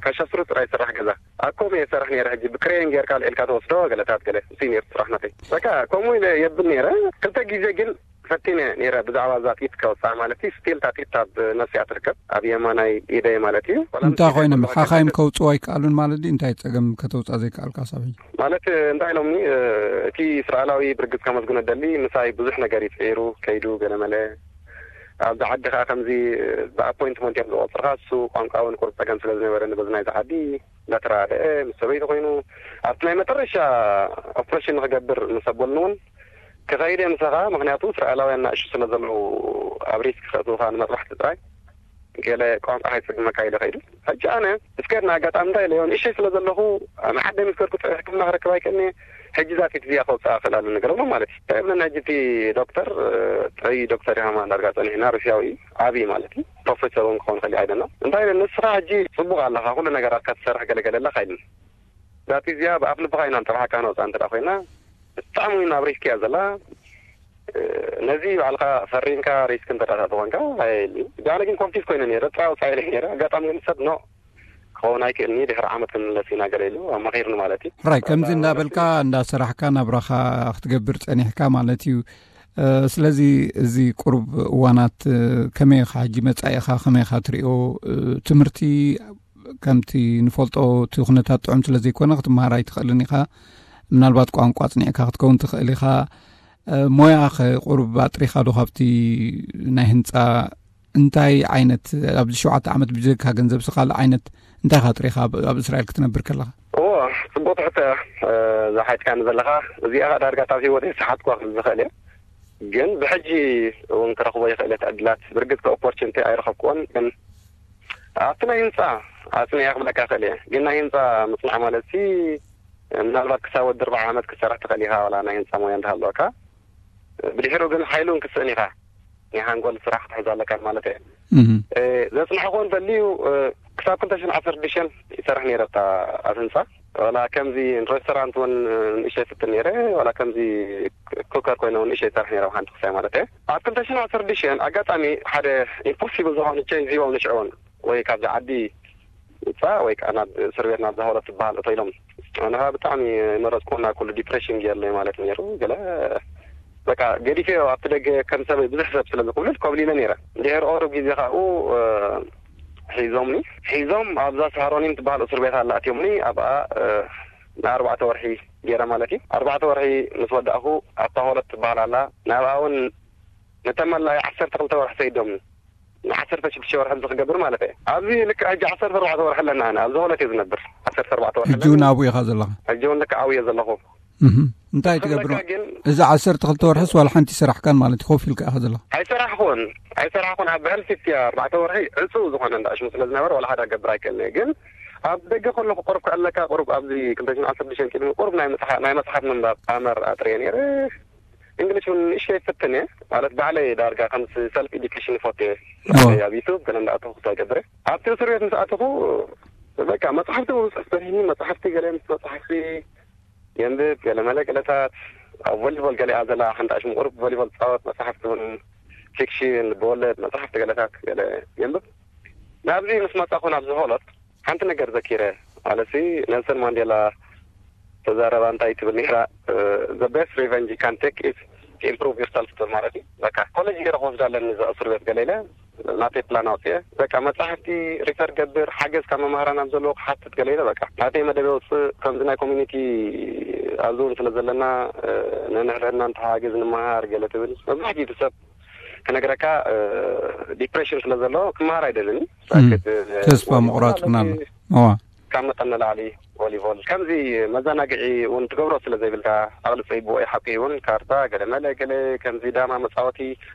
ካሻስሩ ጥራይ ዝስራሕ ገዛ ኣብ ከምኡ እየ ዝሰርሕ ነይረ። ሕጂ ብክሬን ጌርካ ልዒልካ ተወስዶ ገለታት ገለ እሱ ነይሩ ስራሕ ናተይ። በቃ ከምኡ ኢለ የብል ነይረ። ክልተ ግዜ ግን ፈቲነ ነይረ ብዛዕባ እዛ ጢት ከወፅኣ ማለት እዩ። ስቲል እታ ጢት ኣብ ነፍሲኣ ትርከብ ኣብ የማናይ ኢደይ ማለት እዩ። እንታይ ኮይኖም ሓኻይም ከውፅኡ ኣይከኣሉን ማለት ድዩ? እንታይ ፀገም ከተውፅኣ ዘይከኣልካ ሳብ ሕጂ? ማለት እንታይ ኢሎምኒ እቲ እስራኤላዊ ብርግፅ ከመስግኖ ደሊ ምሳይ ብዙሕ ነገር ይፅዒሩ ከይዱ ገለመለ ኣብዚ ዓዲ ከዓ ከምዚ ብኣፖይንትመንት እዮም ዝቆፅርካ እሱ ቋንቋ እውን ቁሩብ ፀገም ስለ ዝነበረ ንበዚ ናይዚ ዓዲ እንዳተረዳድአ ምስ ሰበይቲ ኮይኑ ኣብቲ ናይ መጠረሻ ኦፕሬሽን ንክገብር ምስ ኣበሉኒ እውን ክኸይድ እየ ምሳኻ ምክንያቱ እስራኤላውያን ናእሹ ስለ ዘለዉ ኣብ ሪስክ ከእትውኻ ንመጥባሕቲ ጥራይ ገለ ቋንቋ ከይፅግመካ ኢለ ከይዱ። ሕጂ ኣነ እስከድና ኣጋጣሚ እንታይ ኢለዮ ንእሸይ ስለ ዘለኹ ንዓደይ ምስ ከድኩ ጥዑይ ሕክምና ክረክብ ኣይክእልኒ። ሕጂ እዛ ጢት እዚኣ ከውፅኣ ክእል ኣለኒ ገለሎም ማለት እዩ። እንታይ ይብለና ሕጂ እቲ ዶክተር ጥዑይ ዶክተር ኢኻ ማለት ዳርጋ ፀኒሕና ሩስያዊ እዩ ዓብዪ ማለት እዩ ፕሮፌሰር እውን ክኸውን ይኽእል እዩ ኣይደና እንታይ ኢለ ንስኻ ሕጂ ፅቡቕ ኣለኻ ኩሉ ነገራት ክትሰርሕ ገለገለ ኣለኻ ኢሉኒ። እዛ ጢት እዚኣ ብኣፍ ልብኻ ኢና ንጠብሓካ ነውፅኣ እንተ ኮይና ብጣዕሚ እውን ኣብ ሪስክ እያ ዘላ። ነዚ ባዕልኻ ፈሪምካ ሪስክ እንተ ተኾንካ ኣየሊ ጃነ ግን ኮንፊዝ ኮይነ ነረ ጥራይ ወፃኢ ኢለ ነረ ኣጋጣሚ ግን ሰብ ኖ ክኸውን ኣይክእልኒ ድሕሪ ዓመት ክንምለስ ኢና ገለ ኢሉ ኣማኺርኒ ማለት እዩ። ሕራይ ከምዚ እንዳበልካ እንዳሰራሕካ ናብራኻ ክትገብር ጸኒሕካ ማለት እዩ። ስለዚ እዚ ቁሩብ እዋናት ከመይ ኢኻ ሕጂ መጻኢኻ ከመይ ኢኻ ትሪኦ? ትምህርቲ ከምቲ ንፈልጦ እቲ ኩነታት ጥዑም ስለ ዘይኮነ ክትመሃር ኣይትኽእልን ኢኻ። ምናልባት ቋንቋ ኣጽኒዕካ ክትከውን ትኽእል ኢኻ። ሞያ ከ ቁሩብ ኣጥሪኻ ዶ ካብቲ ናይ ህንፃ እንታይ ዓይነት ኣብዚ ሸውዓተ ዓመት ብጀካ ገንዘብ ስኻል ዓይነት እንታይ ኢኻ ኣጥሪኻ ኣብ እስራኤል ክትነብር ከለኻ? እዎ ጽቡቅ ትሕቶ እያ። ዝሓትካኒ ዘለኻ እዚኣ ዳርጋ ኣብ ህይወተይ ዝሰሓትኳ ክብል ዝኽእል እየ። ግን ብሕጂ እውን ክረኽቦ ይኽእል እየ ዕድላት ብርግጽ ኦፖርቹኒቲ ኣይረኸብክዎን ግን ኣብቲ ናይ ህንፃ ኣጽኒዐ ክብለካ ክእል እየ። ግን ናይ ህንፃ ምጽናዕ ማለት ሲ ምናልባት ክሳብ ወዲ ኣርባዓ ዓመት ክትሰርሕ ትኽእል ኢኻ ዋላ ናይ ህንፃ ሞያ እንዳሃለወካ ብድሕሩ ግን ሓይሉን ክስእን ኢኻ ናይ ሓንጎል ስራሕ ክትሕዝ ኣለካ ማለት እየ። ዘጽንሐ ክኾን ዘድልዩ ክሳብ ክልተ ሽሕን ዓሰርተ ሽዱሽተን ይሰርሕ ነይረ ኣብታ ኣብ ህንፃ ዋላ ከምዚ ሬስቶራንት እውን ንእሽተይ ፍትን ነይረ ዋላ ከምዚ ኩከር ኮይነ እውን ንእሽተይ ይሰርሕ ነይረ ኣብ ሓንቲ ክሳይ ማለት እየ ኣብ ክልተ ሽሕን ዓሰርተ ሽዱሽተን ኣጋጣሚ ሓደ ኢምፖሲብል ዝኾነ ቼንጅ ሂቦም ንሽዕውን ወይ ካብዚ ዓዲ ውፃእ ወይ ከዓ ናብ እስር ቤት ናብ ዛሆለት ትበሃል እቶ ኢሎም ኣነ ከዓ ብጣዕሚ መረፅኩና ኩሉ ዲፕሬሽን ገይርለይ ማለት ነይሩ ገለ በቃ ገዲፈዮ ኣብቲ ደገ ከም ሰበይ ብዙሕ ሰብ ስለ ዝኩብልል ኮብሊለ ነይረ እንድሕር ኦሩብ ግዜ ካብኡ ሒዞምኒ ሒዞም ኣብዛ ሳሮኒን ትበሃል እስር ቤት ኣላ ኣትዮምኒ ኣብኣ ንኣርባዕተ ወርሒ ገይረ ማለት እዩ ኣርባዕተ ወርሒ ምስ ወዳእኹ ኣብታ ሆለት ትበሃል ኣላ ናብኣ እውን ንተመላዩ ዓሰርተ ክልተ ወርሒ ሰይዶምኒ ንዓሰርተ ሽዱሽተ ወርሒ ዝክገብር ማለት እየ ኣብዚ ልክዕ ሕጂ ዓሰርተ ኣርባዕተ ወርሒ ኣለና ኣነ ኣብዚ ሆለት እየ ዝነብር ዓሰርተ ኣርባዕተ ወርሒ ሕጂ እውን ኣብኡ ኢኻ ዘለኻ ሕጂ እውን ልክዕ ኣብኡ እየ ዘለኹ እንታይ ትገብሮ ግን እዚ ዓሰርተ ክልተ ወርሕስ ዋላ ሓንቲ ይሰራሕካን ማለት ኮፍ ኢልካ ኢኻ ዘለኻ ኣይሰራሕኩን ኣይሰራሕኩን ኣብ ብሕልፊት እያ ኣርባዕተ ወርሒ ዕፁ ዝኾነ እንዳሽሙ ስለ ዝነበረ ዋላ ሓደ ገብር ኣይክእልን እየ ግን ኣብ ደገ ከለኹ ቁሩብ ክዕለካ ቁሩብ ኣብዚ ክልተ ሽሕን ዓሰርተ ሽዱሽተን ቅድሚ ቁሩብ ናይ መፅሓፍ ናይ መፅሓፍ ምንባብ ኣመር ኣጥርየ ነይረ እንግሊሽ እውን ንእሽተይ ይፍትን እየ ማለት ባዕለይ ዳርጋ ከምዚ ሰልፍ ኤዱኬሽን ይፈቱ እየ ኣብ ዩቱብ ገለ እንዳኣተኹ ክሳይ ገብረ ኣብቲ እስር ቤት ምስ ኣተኹ በቃ መፅሓፍቲ ምፅሕፍ በሪህኒ መፅሓፍቲ ገለ ምስ መፅሓፍቲ የንብብ ገለ መለ ገለታት ኣብ ቮሊቦል ገለ እያ ዘላ ሓንቲ ኣሽሙ ቁሩብ ቮሊቦል ፃወት መፅሓፍቲ እውን ፊክሽን፣ ልበወለድ፣ መጽሓፍቲ ገለታት ገለ የንብብ። ናብዚ ምስ መጻኹ ናብዚ ሆሎት ሓንቲ ነገር ዘኪረ። ማለትሲ ኔልሰን ማንዴላ ተዛረባ እንታይ ትብል ነይራ? The best revenge you can take is to improve yourself ትብል ማለት እዩ። በቃ ኮሌጅ ገይረ ክወስዳ ኣለኒ እዛ እስር ቤት ገለ ኢለ ናተይ ፕላን ኣውፅኤ። በቃ መጻሕፍቲ ሪፈር ገብር፣ ሓገዝ ካብ መማህራን ኣብ ዘለዎ ክሓትት ገለ ኢለ በቃ ናተይ መደብ የውፅእ። ከምዚ ናይ ኮሚኒቲ ኣብዚ እውን ስለ ዘለና ነንሕድሕድና እንተሓጋገዝ ንመሃር ገለ ትብል። መብዛሕትኡ ሰብ ክነግረካ ዲፕሬሽን ስለ ዘሎ ክመሃር ኣይደልን። ተስፋ ምቑራጽ ምናምን። እዋ። ካብ መጠን ንላዕሊ ቮሊቦል ከምዚ መዘናግዒ እውን ትገብሮ ስለ ዘይብልካ፣ ዓቕሊ ጸይብዎ እዩ ሓቂ እውን። ካርታ፣ ገለ መለ፣ ገለ ከምዚ ዳማ መጻወቲ፣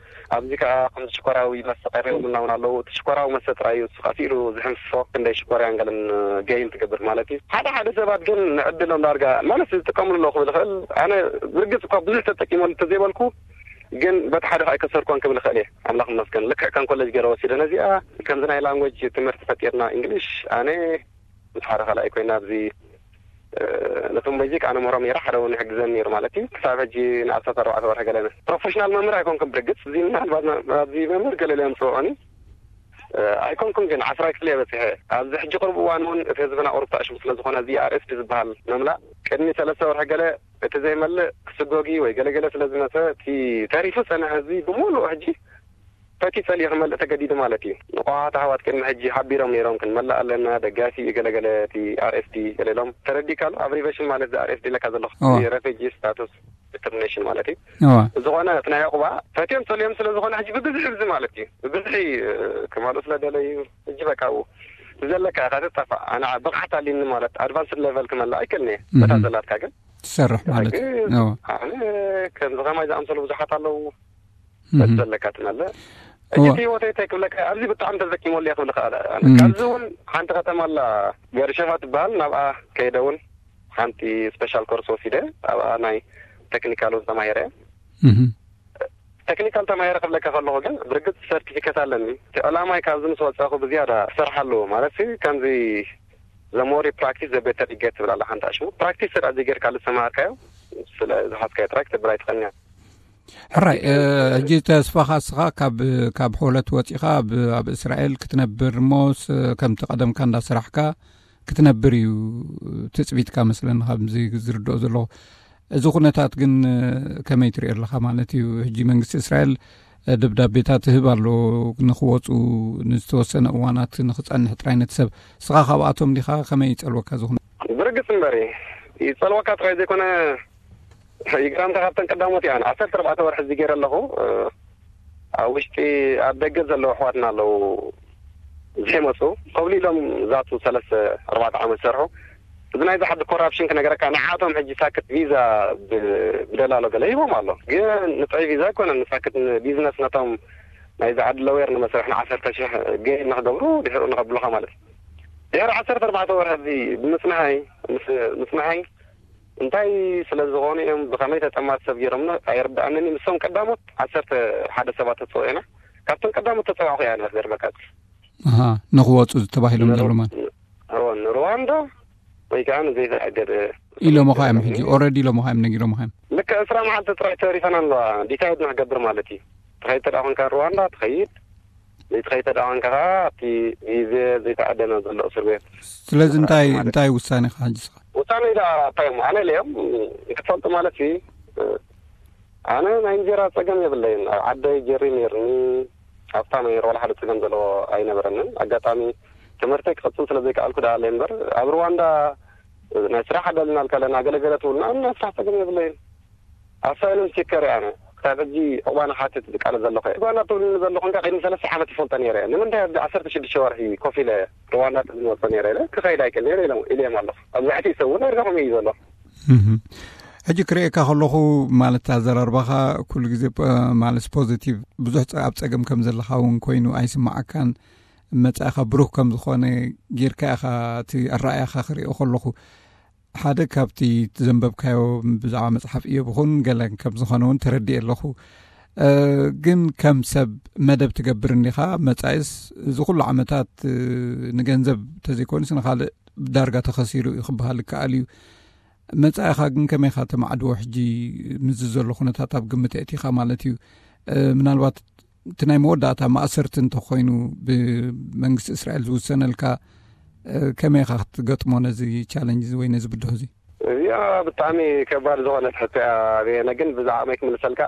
ኣብዚ ከኣ ከምዚ ሽኮራዊ መስተ ቀሪቦምልና እውን ኣለዉ። እቲ ሽኮራዊ መስተ ጥራይ እዩ፣ እሱ ከኣ ስኢሉ ዝሕንፍፎ፣ ክንደይ ሽኮርያን ገለን ገይን ትገብር ማለት እዩ። ሓደ ሓደ ሰባት ግን ንዕድሎም ዳርጋ ማለት ዝጥቀምሉ ኣለዉ ክብል ይኽእል። ኣነ ብርግጽ እኳ ብዙሕ ተጠቂመሉ እንተዘይበልኩ፣ ግን በቲ ሓደ ከኣ ኣይከሰርኮን ክብል ይኽእል እየ። ኣምላኽ ይመስገን። ልክዕ ከም ኮሌጅ ገይረ ወሲደ ነዚኣ። ከምዚ ናይ ላንጉጅ ትምህርቲ ፈጢርና እንግሊሽ፣ ኣነ ምስ ሓደ ካልኣይ ኮይና ኣብዚ፣ እ፣ ነቶም ቤዚክ ኣነ ምህሮም ነይረ፣ ሓደ እውን ይሕግዘኒ ነይሩ ማለት እዩ። ክሳብ ሕጂ ንኣስታት ኣርባዕተ ወርሒ ገለ ፕሮፌሽናል መምህር ኣይኮንኩን። ብርግጽ እዚ ምናልባት ና-፣ ኣብዚ መምህር ገለ ኢለ የምጽእዖኒ፣ እ፣ ኣይኮንኩን፣ ግን ዓስራይ ክፍሊ እየ በጺሐ። ኣብዚ ሕጂ ቅርብ እዋን እውን እቲ ህዝብና ቁሩብ ተኣሽሙ ስለ ዝኾነ እዚ ኣር ኤስ ዲ ዝበሃል መምላእ ቅድሚ ሰለስተ ወርሒ ገለ እቲ ዘይመልእ ክስጎጊ ወይ ገለገለ ስለ ዝመጸ እቲ ተሪፉ ጸንሐ ህዝቢ ብምሉኡ ሕጂ ፈትዩ ጸሊኡ ክመልእ ተገዲዱ ማለት እዩ። ንቑሓት ኣሕዋት ቅድሚ ሕጂ ሓቢሮም ነይሮም፣ ክንመልእ ኣለና፣ ደጋፊ እዩ ገለገለ፣ እቲ ኣር ኤስ ዲ ገለ ኢሎም። ተረዲእካ ኣሎ? ኣብ ሪቨሽን ማለት እዚ ኣር ኤስ ዲ ለካ ዘለኹ፣ እዋ። እዚ ረፊጂ ስታቱስ ዲተርሚኔሽን ማለት እዩ። እዋ። ዝኾነ እቲ ናይ ዕቑባ ፈትዮም ጸልዮም ስለ ዝኾነ ሕጂ ብብዝሒ እዚ ማለት እዩ። ብብዝሒ፣ እ፣ ክመልኡ ስለ ደለዩ ሕጂ በቃ ኣብኡ ዘለካ ኢኻ ትጠፋእ። ኣነ ብቕዓት ኣልዩኒ ማለት ኣድቫንስድ ሌቨል ክመልእ ኣይክእልን እየ። በታ እህ። ዘላትካ ግን ትሰርሕ ማለት ሕጂ እዩ። እዋ። ኣነ ከምዚ ከማይ ዝኣምሰሉ ብዙሓት ኣለዉ። እህ። በቲ ዘለካ ትመልእ። እዋ። ሕጂ እቲ ህይወተይ እንታይ ክብለካ፣ ኣብዚ ብጣዕሚ ተዘኪመሉ እየ ክብል እኽእል። ኣነ እህ። ካብዚ እውን ሓንቲ ከተማ ኣላ፣ ቤርሸባ ትበሃል፣ ናብኣ ከይደ እውን ሓንቲ ስፔሻል ኮርስ ወሲደ፣ ኣብኣ ናይ ቴክኒካል እውን ተማሂረ። እህ። ቴክኒካል ተማሂረ ክብለካ ከለኹ ግን ብርግጽ ሰርቲፊኬት ኣለኒ። እቲ ዕላማይ ካብዚ ምስ ወጻኹ ብዝያዳ ክሰርሓሉ ማለት ሲ፣ ከምዚ ዘሞሪ ፕራክቲስ ዘቤተር ይገት ትብል ኣላ ሓንቲ ኣሽሙ። ፕራክቲስ ስራ እዚ ጌርካ ዝተማሃርካዮ፣ ስለ ዝሓዝካዮ ጥራይ ክትብል ኣይትኽእልን እያ። ሕራይ፣ እ፣ ሕጂ ተስፋኻ እስኻ ካብ፣ ካብ ሆለት ወጺኻ ኣብ፣ ኣብ እስራኤል ክትነብር እሞ ስ-፣ ከምቲ ቀደምካ እንዳሰራሕካ ክትነብር እዩ ትጽቢትካ መስለኒ፣ ካብዚ ዝርድኦ ዘለኹ። እዚ ኩነታት ግን፣ እ፣ ከመይ ትሪኦ ኣለኻ ማለት እዩ? ሕጂ መንግስቲ እስራኤል፣ እ፣ ደብዳቤታት ትህብ ኣሎ ንኽወጹ ንዝተወሰነ እዋናት ንኽጸንሕ ጥራይ ነቲ ሰብ። እስኻ ካብኣቶም ዲኻ? ከመይ ይጸልወካ እዚ ኩነ-? ብርግጽ እምበሪ ይጸልወካ ጥራይ ዘይኮነ፣ ይግረምካ ካብተን ቀዳሞት እያ። ዓሰርተ ኣርባዕተ ወርሒ እዚ ገይረ ኣለኹ። እ፣ ኣብ ውሽጢ ኣብ ደገ ዘለዉ ኣሕዋትና ኣለዉ ዘይመፁ ኮብሊሎም ዛቱ ሰለስተ ኣርባዕተ ዓመት ሰርሑ። እዚ ናይዚ ዓዲ ኮራፕሽን ክነገረካ፣ ንዓቶም ሕጂ ሳክት ቪዛ ብ-፣ ብደላሎ ገለ ሂቦም ኣሎ። ግን ንጥዑይ ቪዛ ኣይኮነን፣ ንሳክት ንቢዝነስ ነቶም ናይዚ ዓዲ ለወየር ንመስርሕ ንዓሰርተ ሽሕ ገይር ንክገብሩ ድሕሩ ንከብሉኻ ማለት እዩ። ድሕሪ ዓሰርተ ኣርባዕተ ወርሒ እዚ ብምፅንሓይ፣ ምስ-፣ ምፅንሓይ እንታይ ስለ ዝኾኑ እዮም፣ ብኸመይ ተጠማት ሰብ ገይሮምና ኣይርድኣንን እዩ። ንሶም ቀዳሞት ዓሰርተ ሓደ ሰባት ተፀውዑና። ካብቶም ቀዳሞት ተፀዋዕኹ እያ ነበር መቃጽ። ኣሃ፣ ንኽወፁ ተባሂሎም ን-፣ ዘለዉ ማለት። ን-፣ እዎ፣ ንሩዋንዳ ወይ ከዓ ንዘይተኣገደ ኢሎምኻ እዮም ሕጂ፣ ኦልሬዲ ኢሎምኻ እዮም፣ ነጊሮምኻ እዮም። ልክዕ ዕስራ መዓልቲ ጥራይ ተሪፈና ኣለዋ፣ ዲሳይድ ንክገብር ማለት እዩ። ትኸይድ ተደኣ ኮንካ ሩዋንዳ ትኸይድ፣ ዘይትኸይድ ተደኣ ኮንካ ከዓ ኣብቲ ግዜ ዘይተዓደመ ዘሎ እስር ቤት። ስለዚ እንታይ፣ ማለት እንታይ ውሳኔ ኢኻ ሕጂ ስኻ? ውሳኔ ኢላ እንታይ እሞ፣ ኣነ ኢለዮም፣ ክትፈልጡ ማለት እዩ፣ ኣነ ናይ እንጀራ ጸገም የብለይን። ኣብ ዓደይ ጀሪ ነይርኒ፣ ሃብታም ነይረ፣ ዋላ ሓደ ጸገም ዘለዎ ኣይነበረንን። ኣጋጣሚ ትምህርተይ ክቕጽል ስለ ዘይከኣልኩ ደኣ ኣለይ እምበር፣ ኣብ ሩዋንዳ ናይ ስራሕ ዕድል እናልካ ኣለና፣ ገለገለ ትብሉና፣ ናይ ስራሕ ጸገም የብለይን። ኣሳይለም ሲከር እየ ኣነ። ክሳብ ሕጂ ዕቑባ ንሓትት ዝቃለስ ዘለኹ እየ። ሩዋንዳ ትብሉኒ ዘለኹም ከኣ ቅድሚ ሰለስተ ዓመት ይፈልጦ ነይረ እየ። ንምንታይ ኣብዚ ዓሰርተ ሽዱሽተ ወርሒ ኮፍ ኢለ ሩዋንዳ ዝመጾ ነይረ ኢለ ክኸይድ ኣይክእል ነይረ ኢሎም፣ ኢለዮም ኣለኹ። ኣብዚ ሕጂ ሰብ እውን ኣርጋኹም እዩ ዘሎ። እህ። ሕጂ ክርእየካ ከለኹ ማለት ኣዘራርባኻ ኩሉ ግዜ ፖ-፣ ማለት ፖዚቲቭ ብዙሕ ጸ-፣ ኣብ ጸገም ከም ዘለኻ እውን ኮይኑ ኣይስምዓካን። መጻኢኻ ብሩህ ከም ዝኾነ ጌርካ ኢኻ እቲ ኣረኣእያኻ ክርእዮ ከለኹ። ሓደ ካብቲ ዘንበብካዮ ብዛዕባ መጽሓፍ እዮብ ይኹን ገለ ከም ዝኾነ እውን ተረዲኤ ኣለኹ። እ፣ ግን ከም ሰብ መደብ ትገብር እንዲኻ፣ መጻኢስ እዚ ኩሉ ዓመታት፣ እ፣ ንገንዘብ ተዘይኮኑስ ንኻልእ ዳርጋ ተኸሲሩ እዩ ክበሃል ይከኣል እዩ። መጻኢኻ ግን ከመይኻ ተማዕድዎ ሕጂ ምስዚ ዘሎ ኩነታት ኣብ ግምት ኣእቲኻ ማለት እዩ? እ፣ ምናልባት እቲ ናይ መወዳእታ ማእሰርቲ እንተኾይኑ ብመንግስቲ እስራኤል ዝውሰነልካ፣ ከመይ ኢኻ ክትገጥሞ ነዚ ቻለንጅ ወይ ነዚ ብድሆ እዚ? እዚኣ ብጣዕሚ ከባድ ዝኾነት ሕቶ እያ። ኣበየነ ግን ብዛዕባይ ክምልሰልካ፣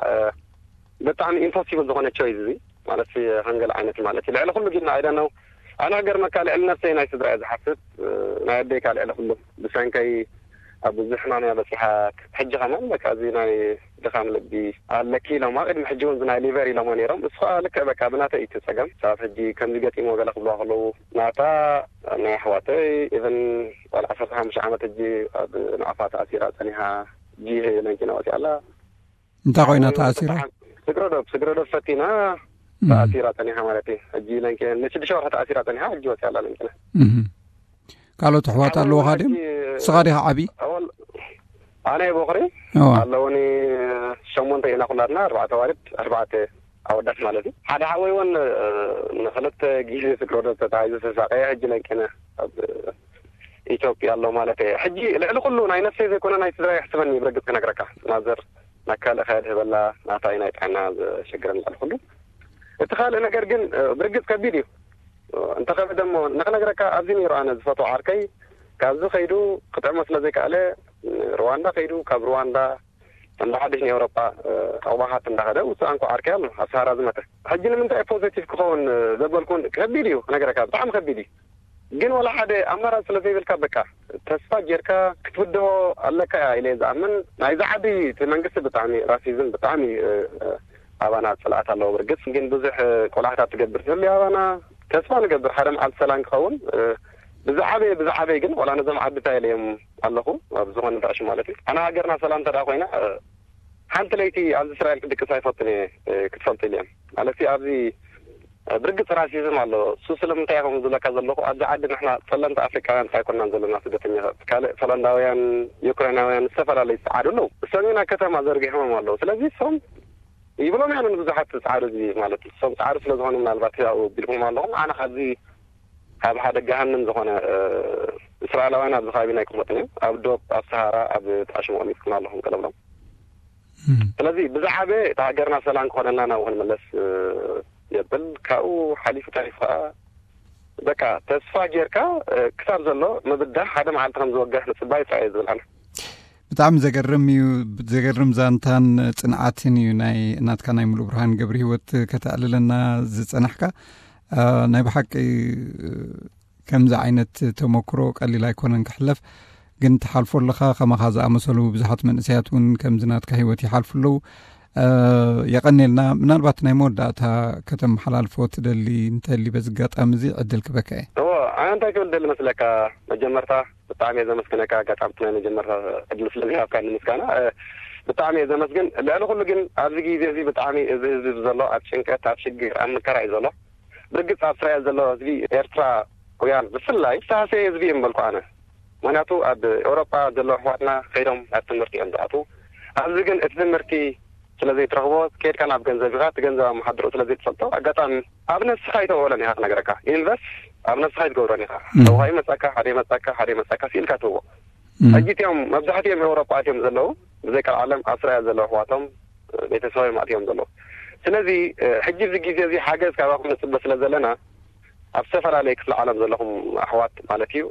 ብጣዕሚ ኢምፖሲብል ዝኾነ ቾይስ እዚ ማለት፣ ሃንገል ዓይነት ማለት እዩ። ልዕሊ ኩሉ ግን ኣይ ዶንት ኖው፣ ኣነ ክገርመካ ልዕሊ ነፍሰይ ናይ ስድራ እየ ዝሓስብ። ናይ ኣደይ ካልዕ ኩሉ ብሰንከይ ኣብ ብዙሕ ሕማም እያ በፂሓ። ሕጂ ከማን በቃ እዚ ናይ ድኻም ልቢ ኣለኪ ኢሎማ። ቅድሚ ሕጂ እውን ናይ ሊቨር ኢሎሞ ነይሮም። እሱ ከዓ ልክዕ በቃ ብናተይ እዩ እቲ ፀገም። ሳብ ሕጂ ከምዚ ገጢሞ ገለ ክብልዋ ከለዉ ናታ ናይ ኣሕዋተይ ኢቨን ጓል ዓሰርተ ሓሙሽተ ዓመት ሕጂ ኣብ ንኣፋ ተኣሲራ ፀኒሓ። ሕጂ ለንኪና ወፂኣ ኣላ። እንታይ ኮይና ተኣሲራ? ስግረዶብ ስግረዶብ ፈቲና ተኣሲራ ፀኒሓ ማለት እዩ። ሕጂ ለንኪ ንሽዱሽተ ወርሒ ተኣሲራ ፀኒሓ፣ ሕጂ ወፂኣ ኣላ ለንኪና። ካልኦት ኣሕዋት ኣለውኻ ድም? ስኻ ዲኻ ዓቢ? ኣነ ቦኽሪ ኣለውኒ። ሸሞንተ ኢና ኩላትና፣ ኣርባዕተ ኣዋልድ ኣርባዕተ ኣወዳት ማለት እዩ። ሓደ ሓወይ እውን ንክልተ ግዜ ስግረዶብ ተታሒዙ ተሳቀየ። ሕጂ ለንኪና ኣብ ኢትዮጵያ ኣሎ ማለት እየ። ሕጂ ልዕሊ ኩሉ ናይ ነፍሰይ ዘይኮነ ናይ ስድራ ይሕስበኒ ብርግፅ ክነግረካ። ማዘር ናብ ካልእ ከድህበላ ናታይ ናይ ጥዕና ዘሸግረን ልዕሊ ኩሉ። እቲ ካልእ ነገር ግን ብርግፅ ከቢድ እዩ። እንተኸበደ እሞ ንክነግረካ ኣብዚ ነይሩ ኣነ ዝፈትዎ ዓርከይ ካብዚ ከይዱ ክጥዕሞ ስለ ዘይከኣለ ሩዋንዳ ከይዱ ካብ ሩዋንዳ እንዳ ሓድሽ ንኤውሮጳ ዕቑባሓት እንዳኸደ ውፅእ ኣንኮ ዓርከይ ኣሎ ኣብ ሰሃራ ዝመተ። ሕጂ ንምንታይ ፖዘቲቭ ክኸውን ዘበልኩን ከቢድ እዩ ክነግረካ፣ ብጣዕሚ ከቢድ እዩ። ግን ወላ ሓደ ኣማራፂ ስለ ዘይብልካ በቃ ተስፋ ጌርካ ክትብድሆ ኣለካ እያ ኢለ ዝኣምን። ናይዚ ዓዲ እቲ መንግስቲ ብጣዕሚ ራሲዝም ብጣዕሚ ኣባና ፅልኣት ኣለዎ። ብርግፅ ግን ብዙሕ ቆላሕታት ትገብር ትህሉ ኣባና። ተስፋ ንገብር ሓደ መዓልቲ ሰላም ክኸውን። ብዛዕበይ ብዛዕበይ ግን ዋላ ነዞም ዓድታ ኢለዮም ኣለኹ ኣብ ዝኾነ ዳሽ ማለት እዩ። ኣና ሃገርና ሰላም ተዳ ኮይና ሓንቲ ለይቲ ኣብዚ እስራኤል ክድቅስ ኣይፈትን እየ ክትፈልጡ ኢለ እዮም ማለት ኣብዚ ብርግፅ ራሲዝም ኣሎ። እሱ ስለምንታይ ኢኹም ዝብለካ ዘለኹ ኣብዚ ዓዲ ንሕና ፀለምቲ ኣፍሪቃውያን ጥራይ ኮናን ዘለና ስደተኛታት ካልእ ፖላንዳውያን፣ ዩክራይናውያን ዝተፈላለዩ ፃዓዱ ኣለዉ። እሶም ኢና ከተማ ዘርጊሖም ኣለዉ። ስለዚ እሶም ይብሎም ያንን ብዙሓት ፃዓዱ እዚ ማለት እሶም ፃዓዱ ስለዝኾኑ ምናልባት ያው ቢልኩም ኣለኹም። ኣነ ካብዚ ካብ ሓደ ገሃንም ዝኾነ እስራኤላውያን ኣብዚ ከባቢ ናይ ክመጥን እዮም ኣብ ዶብ ኣብ ሰሃራ ኣብ ጣሽሞኦም ይስክና ኣለኹም ቀለብሎም። ስለዚ ብዛዕበ እቲ ሃገርና ሰላም ክኾነና ናብኡ ክንምለስ የብል። ካብኡ ሓሊፉ ተሪፉ ከዓ በቃ ተስፋ ጌርካ ክሳብ ዘሎ ምብዳህ ሓደ መዓልቲ ከም ዝወግሕ ምፅባይ ጥራይ እዩ ዝብል ኣነ። ብጣዕሚ ዘገርም እዩ። ዘገርም ዛንታን ፅንዓትን እዩ ናይ እናትካ ናይ ሙሉ ብርሃን ገብሪ ህይወት ከተዕልለና ዝፀናሕካ። ናይ ብሓቂ ከምዚ ዓይነት ተመክሮ ቀሊል ኣይኮነን ክሕለፍ፣ ግን ትሓልፎ ኣለኻ። ከማኻ ዝኣመሰሉ ብዙሓት መንእሰያት እውን ከምዚ ናትካ ህይወት ይሓልፉ ኣለዉ። የቐኔልና። ምናልባት ናይ መወዳእታ ከተመሓላልፎ ትደሊ እንተሊ በዚ ኣጋጣሚ እዚ ዕድል ክበካ እየ። እዎ፣ ኣነ እንታይ ክብል ደሊ መስለካ? መጀመርታ ብጣዕሚ እየ ዘመስግነካ ኣጋጣሚ ናይ መጀመርታ ዕድል ስለዚ ሃብካኒ ምስጋና። ብጣዕሚ እየ ዘመስግን። ልዕሊ ኩሉ ግን ኣብዚ ግዜ እዚ ብጣዕሚ እዚ ህዝቢ ዘሎ ኣብ ጭንቀት ኣብ ሽግር ኣብ መከራ እዩ ዘሎ። ብርግፅ ኣብ እስራኤል ዘሎ ህዝቢ ኤርትራውያን ብፍላይ ዝተሃሰየ ህዝቢ እዮም በልኩ ኣነ። ምክንያቱ ኣብ ኤውሮጳ ዘለዉ ኣሕዋትና ከይዶም ናብ ትምህርቲ እዮም ዝኣትዉ። ኣብዚ ግን እቲ ትምህርቲ ስለ ዘይትረኽቦ ከይድካ ናብ ገንዘብ ኢኻ፣ እቲ ገንዘብ ኣመሓድሮ ስለ ዘይትፈልጦ ኣጋጣሚ ኣብ ነብስኻ ይተውዕሎን ኢኻ ክነግረካ። ኢንቨስት ኣብ ነብስኻ ይትገብሮን ኢኻ። ተውሃይ መጻካ ሓደ መጻካ ሓደ መጻካ ሲልካ ትህቦ። ሕጂ እቲኦም መብዛሕትኦም ኤውሮጳ እዮም ዘለዉ ብዘይ ቀልዓለም ኣብ እስራኤል ዘለዉ ኣሕዋቶም ቤተሰቦም ኣትዮም ዘለዉ። ስለዚ ሕጂ እዚ ግዜ እዚ ሓገዝ ካባኹም ንፅበ ስለ ዘለና ኣብ ዝተፈላለየ ክፍለ ዓለም ዘለኹም ኣሕዋት ማለት እዩ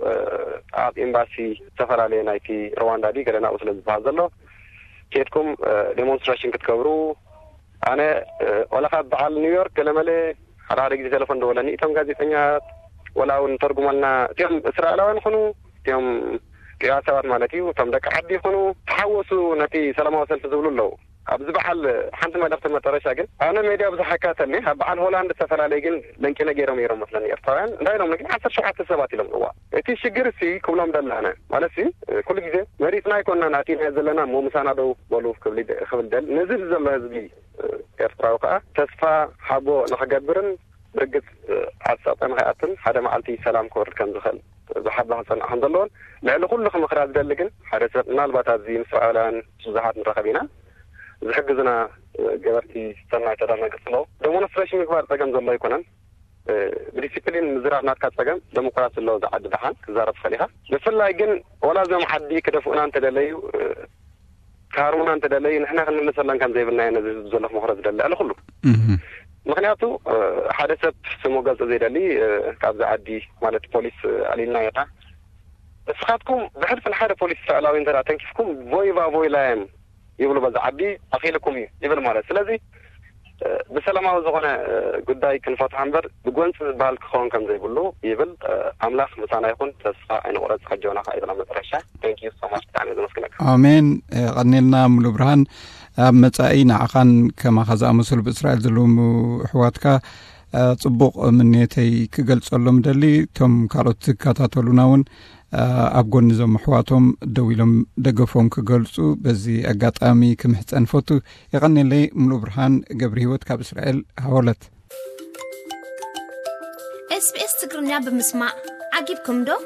ኣብ ኤምባሲ ዝተፈላለየ ናይቲ ሩዋንዳ ድዩ ገለ ናብኡ ስለ ዝበሃል ዘሎ ኬድኩም ዴሞንስትሬሽን ክትገብሩ ኣነ ወላ ካብ በዓል ኒውዮርክ ገለመለ ሓደ ሓደ ግዜ ቴሌፎን ደወለኒ እቶም ጋዜጠኛት ወላ እውን ተርጉመልና እቲኦም እስራኤላውያን ይኹኑ እቲኦም ቅያ ሰባት ማለት እዩ እቶም ደቂ ዓዲ ይኹኑ ተሓወሱ ነቲ ሰላማዊ ሰልፊ ዝብሉ ኣለዉ ኣብዚ በዓል ሓንቲ መልእኽቲ መጠረሻ ግን ኣነ ሜድያ ብዙሕ ኣይካተልኒ ኣብ በዓል ሆላንድ ዝተፈላለየ ግን ለንቂነ ገይሮም እዮም መስለኒ ኤርትራውያን እንታይ ኢሎም ግን ዓሰርተ ሸውዓተ ሰባት ኢሎም እዋ እቲ ሽግር ሲ ክብሎም ደላነ ማለት ሲ ኩሉ ግዜ መሪፅና ኣይኮንና ናቲና ዘለና እሞ ምሳና ደው በሉ ክብል ክብል ደል ነዚ ዘሎ ህዝቢ ኤርትራዊ ከዓ ተስፋ ሓጎ ንክገብርን ብርግፅ ዓፀብጠ ንክኣትን ሓደ መዓልቲ ሰላም ክወርድ ከም ዝኽእል ብሓባ ክፀንዓ ከም ዘለዎን ልዕሊ ኩሉ ክምኽራ ዝደሊ ግን ሓደ ሰብ ምናልባት ኣብዚ ምስ እስራኤላውያን ብዙሓት ንራኸብ ኢና ዝሕግዙና ገበርቲ ሰናይ ተዳና ገፅሎ ደሞንስትሬሽን ምግባር ፀገም ዘሎ ኣይኮነን ብዲሲፕሊን ምዝራብ ናትካ ፀገም ደሞክራሲ ኣሎ ዝዓዲ ደሓን ክዛረብ ትኽእል ኢኻ ብፍላይ ግን ወላ እዞም ዓዲ ክደፍኡና እንተደለዩ ክሃርሙና እንተደለዩ ንሕና ክንምልሰሎም ከም ዘይብልና እየ ነዚ ህዝቢ ዘሎ ክመኽሮ ዝደሊ ኣለ ኩሉ ምክንያቱ ሓደ ሰብ ስሙ ገልጽ ዘይደሊ ካብዚ ዓዲ ማለት ፖሊስ ኣሊልና ይታ ንስኻትኩም ብሕልፊ ንሓደ ፖሊስ እስራኤላዊ እንተ ተንኪፍኩም ቮይቫ ቮይላየም ይብሉ። በዚ ዓዲ ኣኺልኩም እዩ ይብል ማለት። ስለዚ ብሰላማዊ ዝኾነ ጉዳይ ክንፈትሖ እምበር ብጎንፂ ዝበሃል ክኸውን ከም ዘይብሉ ይብል። ኣምላኽ ምሳና ይኹን፣ ተስፋ ኣይንቑረፅ። ኣጆና ከዓ ይብላ መጨረሻ። Thank you so much። ብጣዕሚ ዘመስግነካ። ኣሜን። ቀኒልና ሙሉ ብርሃን። ኣብ መጻኢ ንዓኻን ከማኻ ዝኣመሰሉ ብእስራኤል ዘለዉ ኣሕዋትካ ጽቡቕ ምንየተይ ክገልጸሎም ደሊ። እቶም ካልኦት ዝከታተሉና እውን ኣብ ጎኒ ዞም ኣሕዋቶም ደው ኢሎም ደገፎም ክገልጹ በዚ ኣጋጣሚ ክምሕጸን ፈቱ። የቐኔለይ። ሙሉ ብርሃን ገብሪ ህይወት ካብ እስራኤል ሃወለት። ኤስቢኤስ ትግርኛ ብምስማዕ ዓጊብኩም ዶ?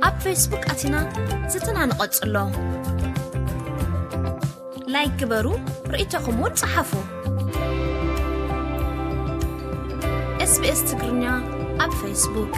ኣብ ፌስቡክ ኣቲና ዝትና ንቐጽሎ። ላይክ ግበሩ፣ ርእይቶኹም እውን ጸሓፉ። ኤስቢኤስ ትግርኛ ኣብ ፌስቡክ።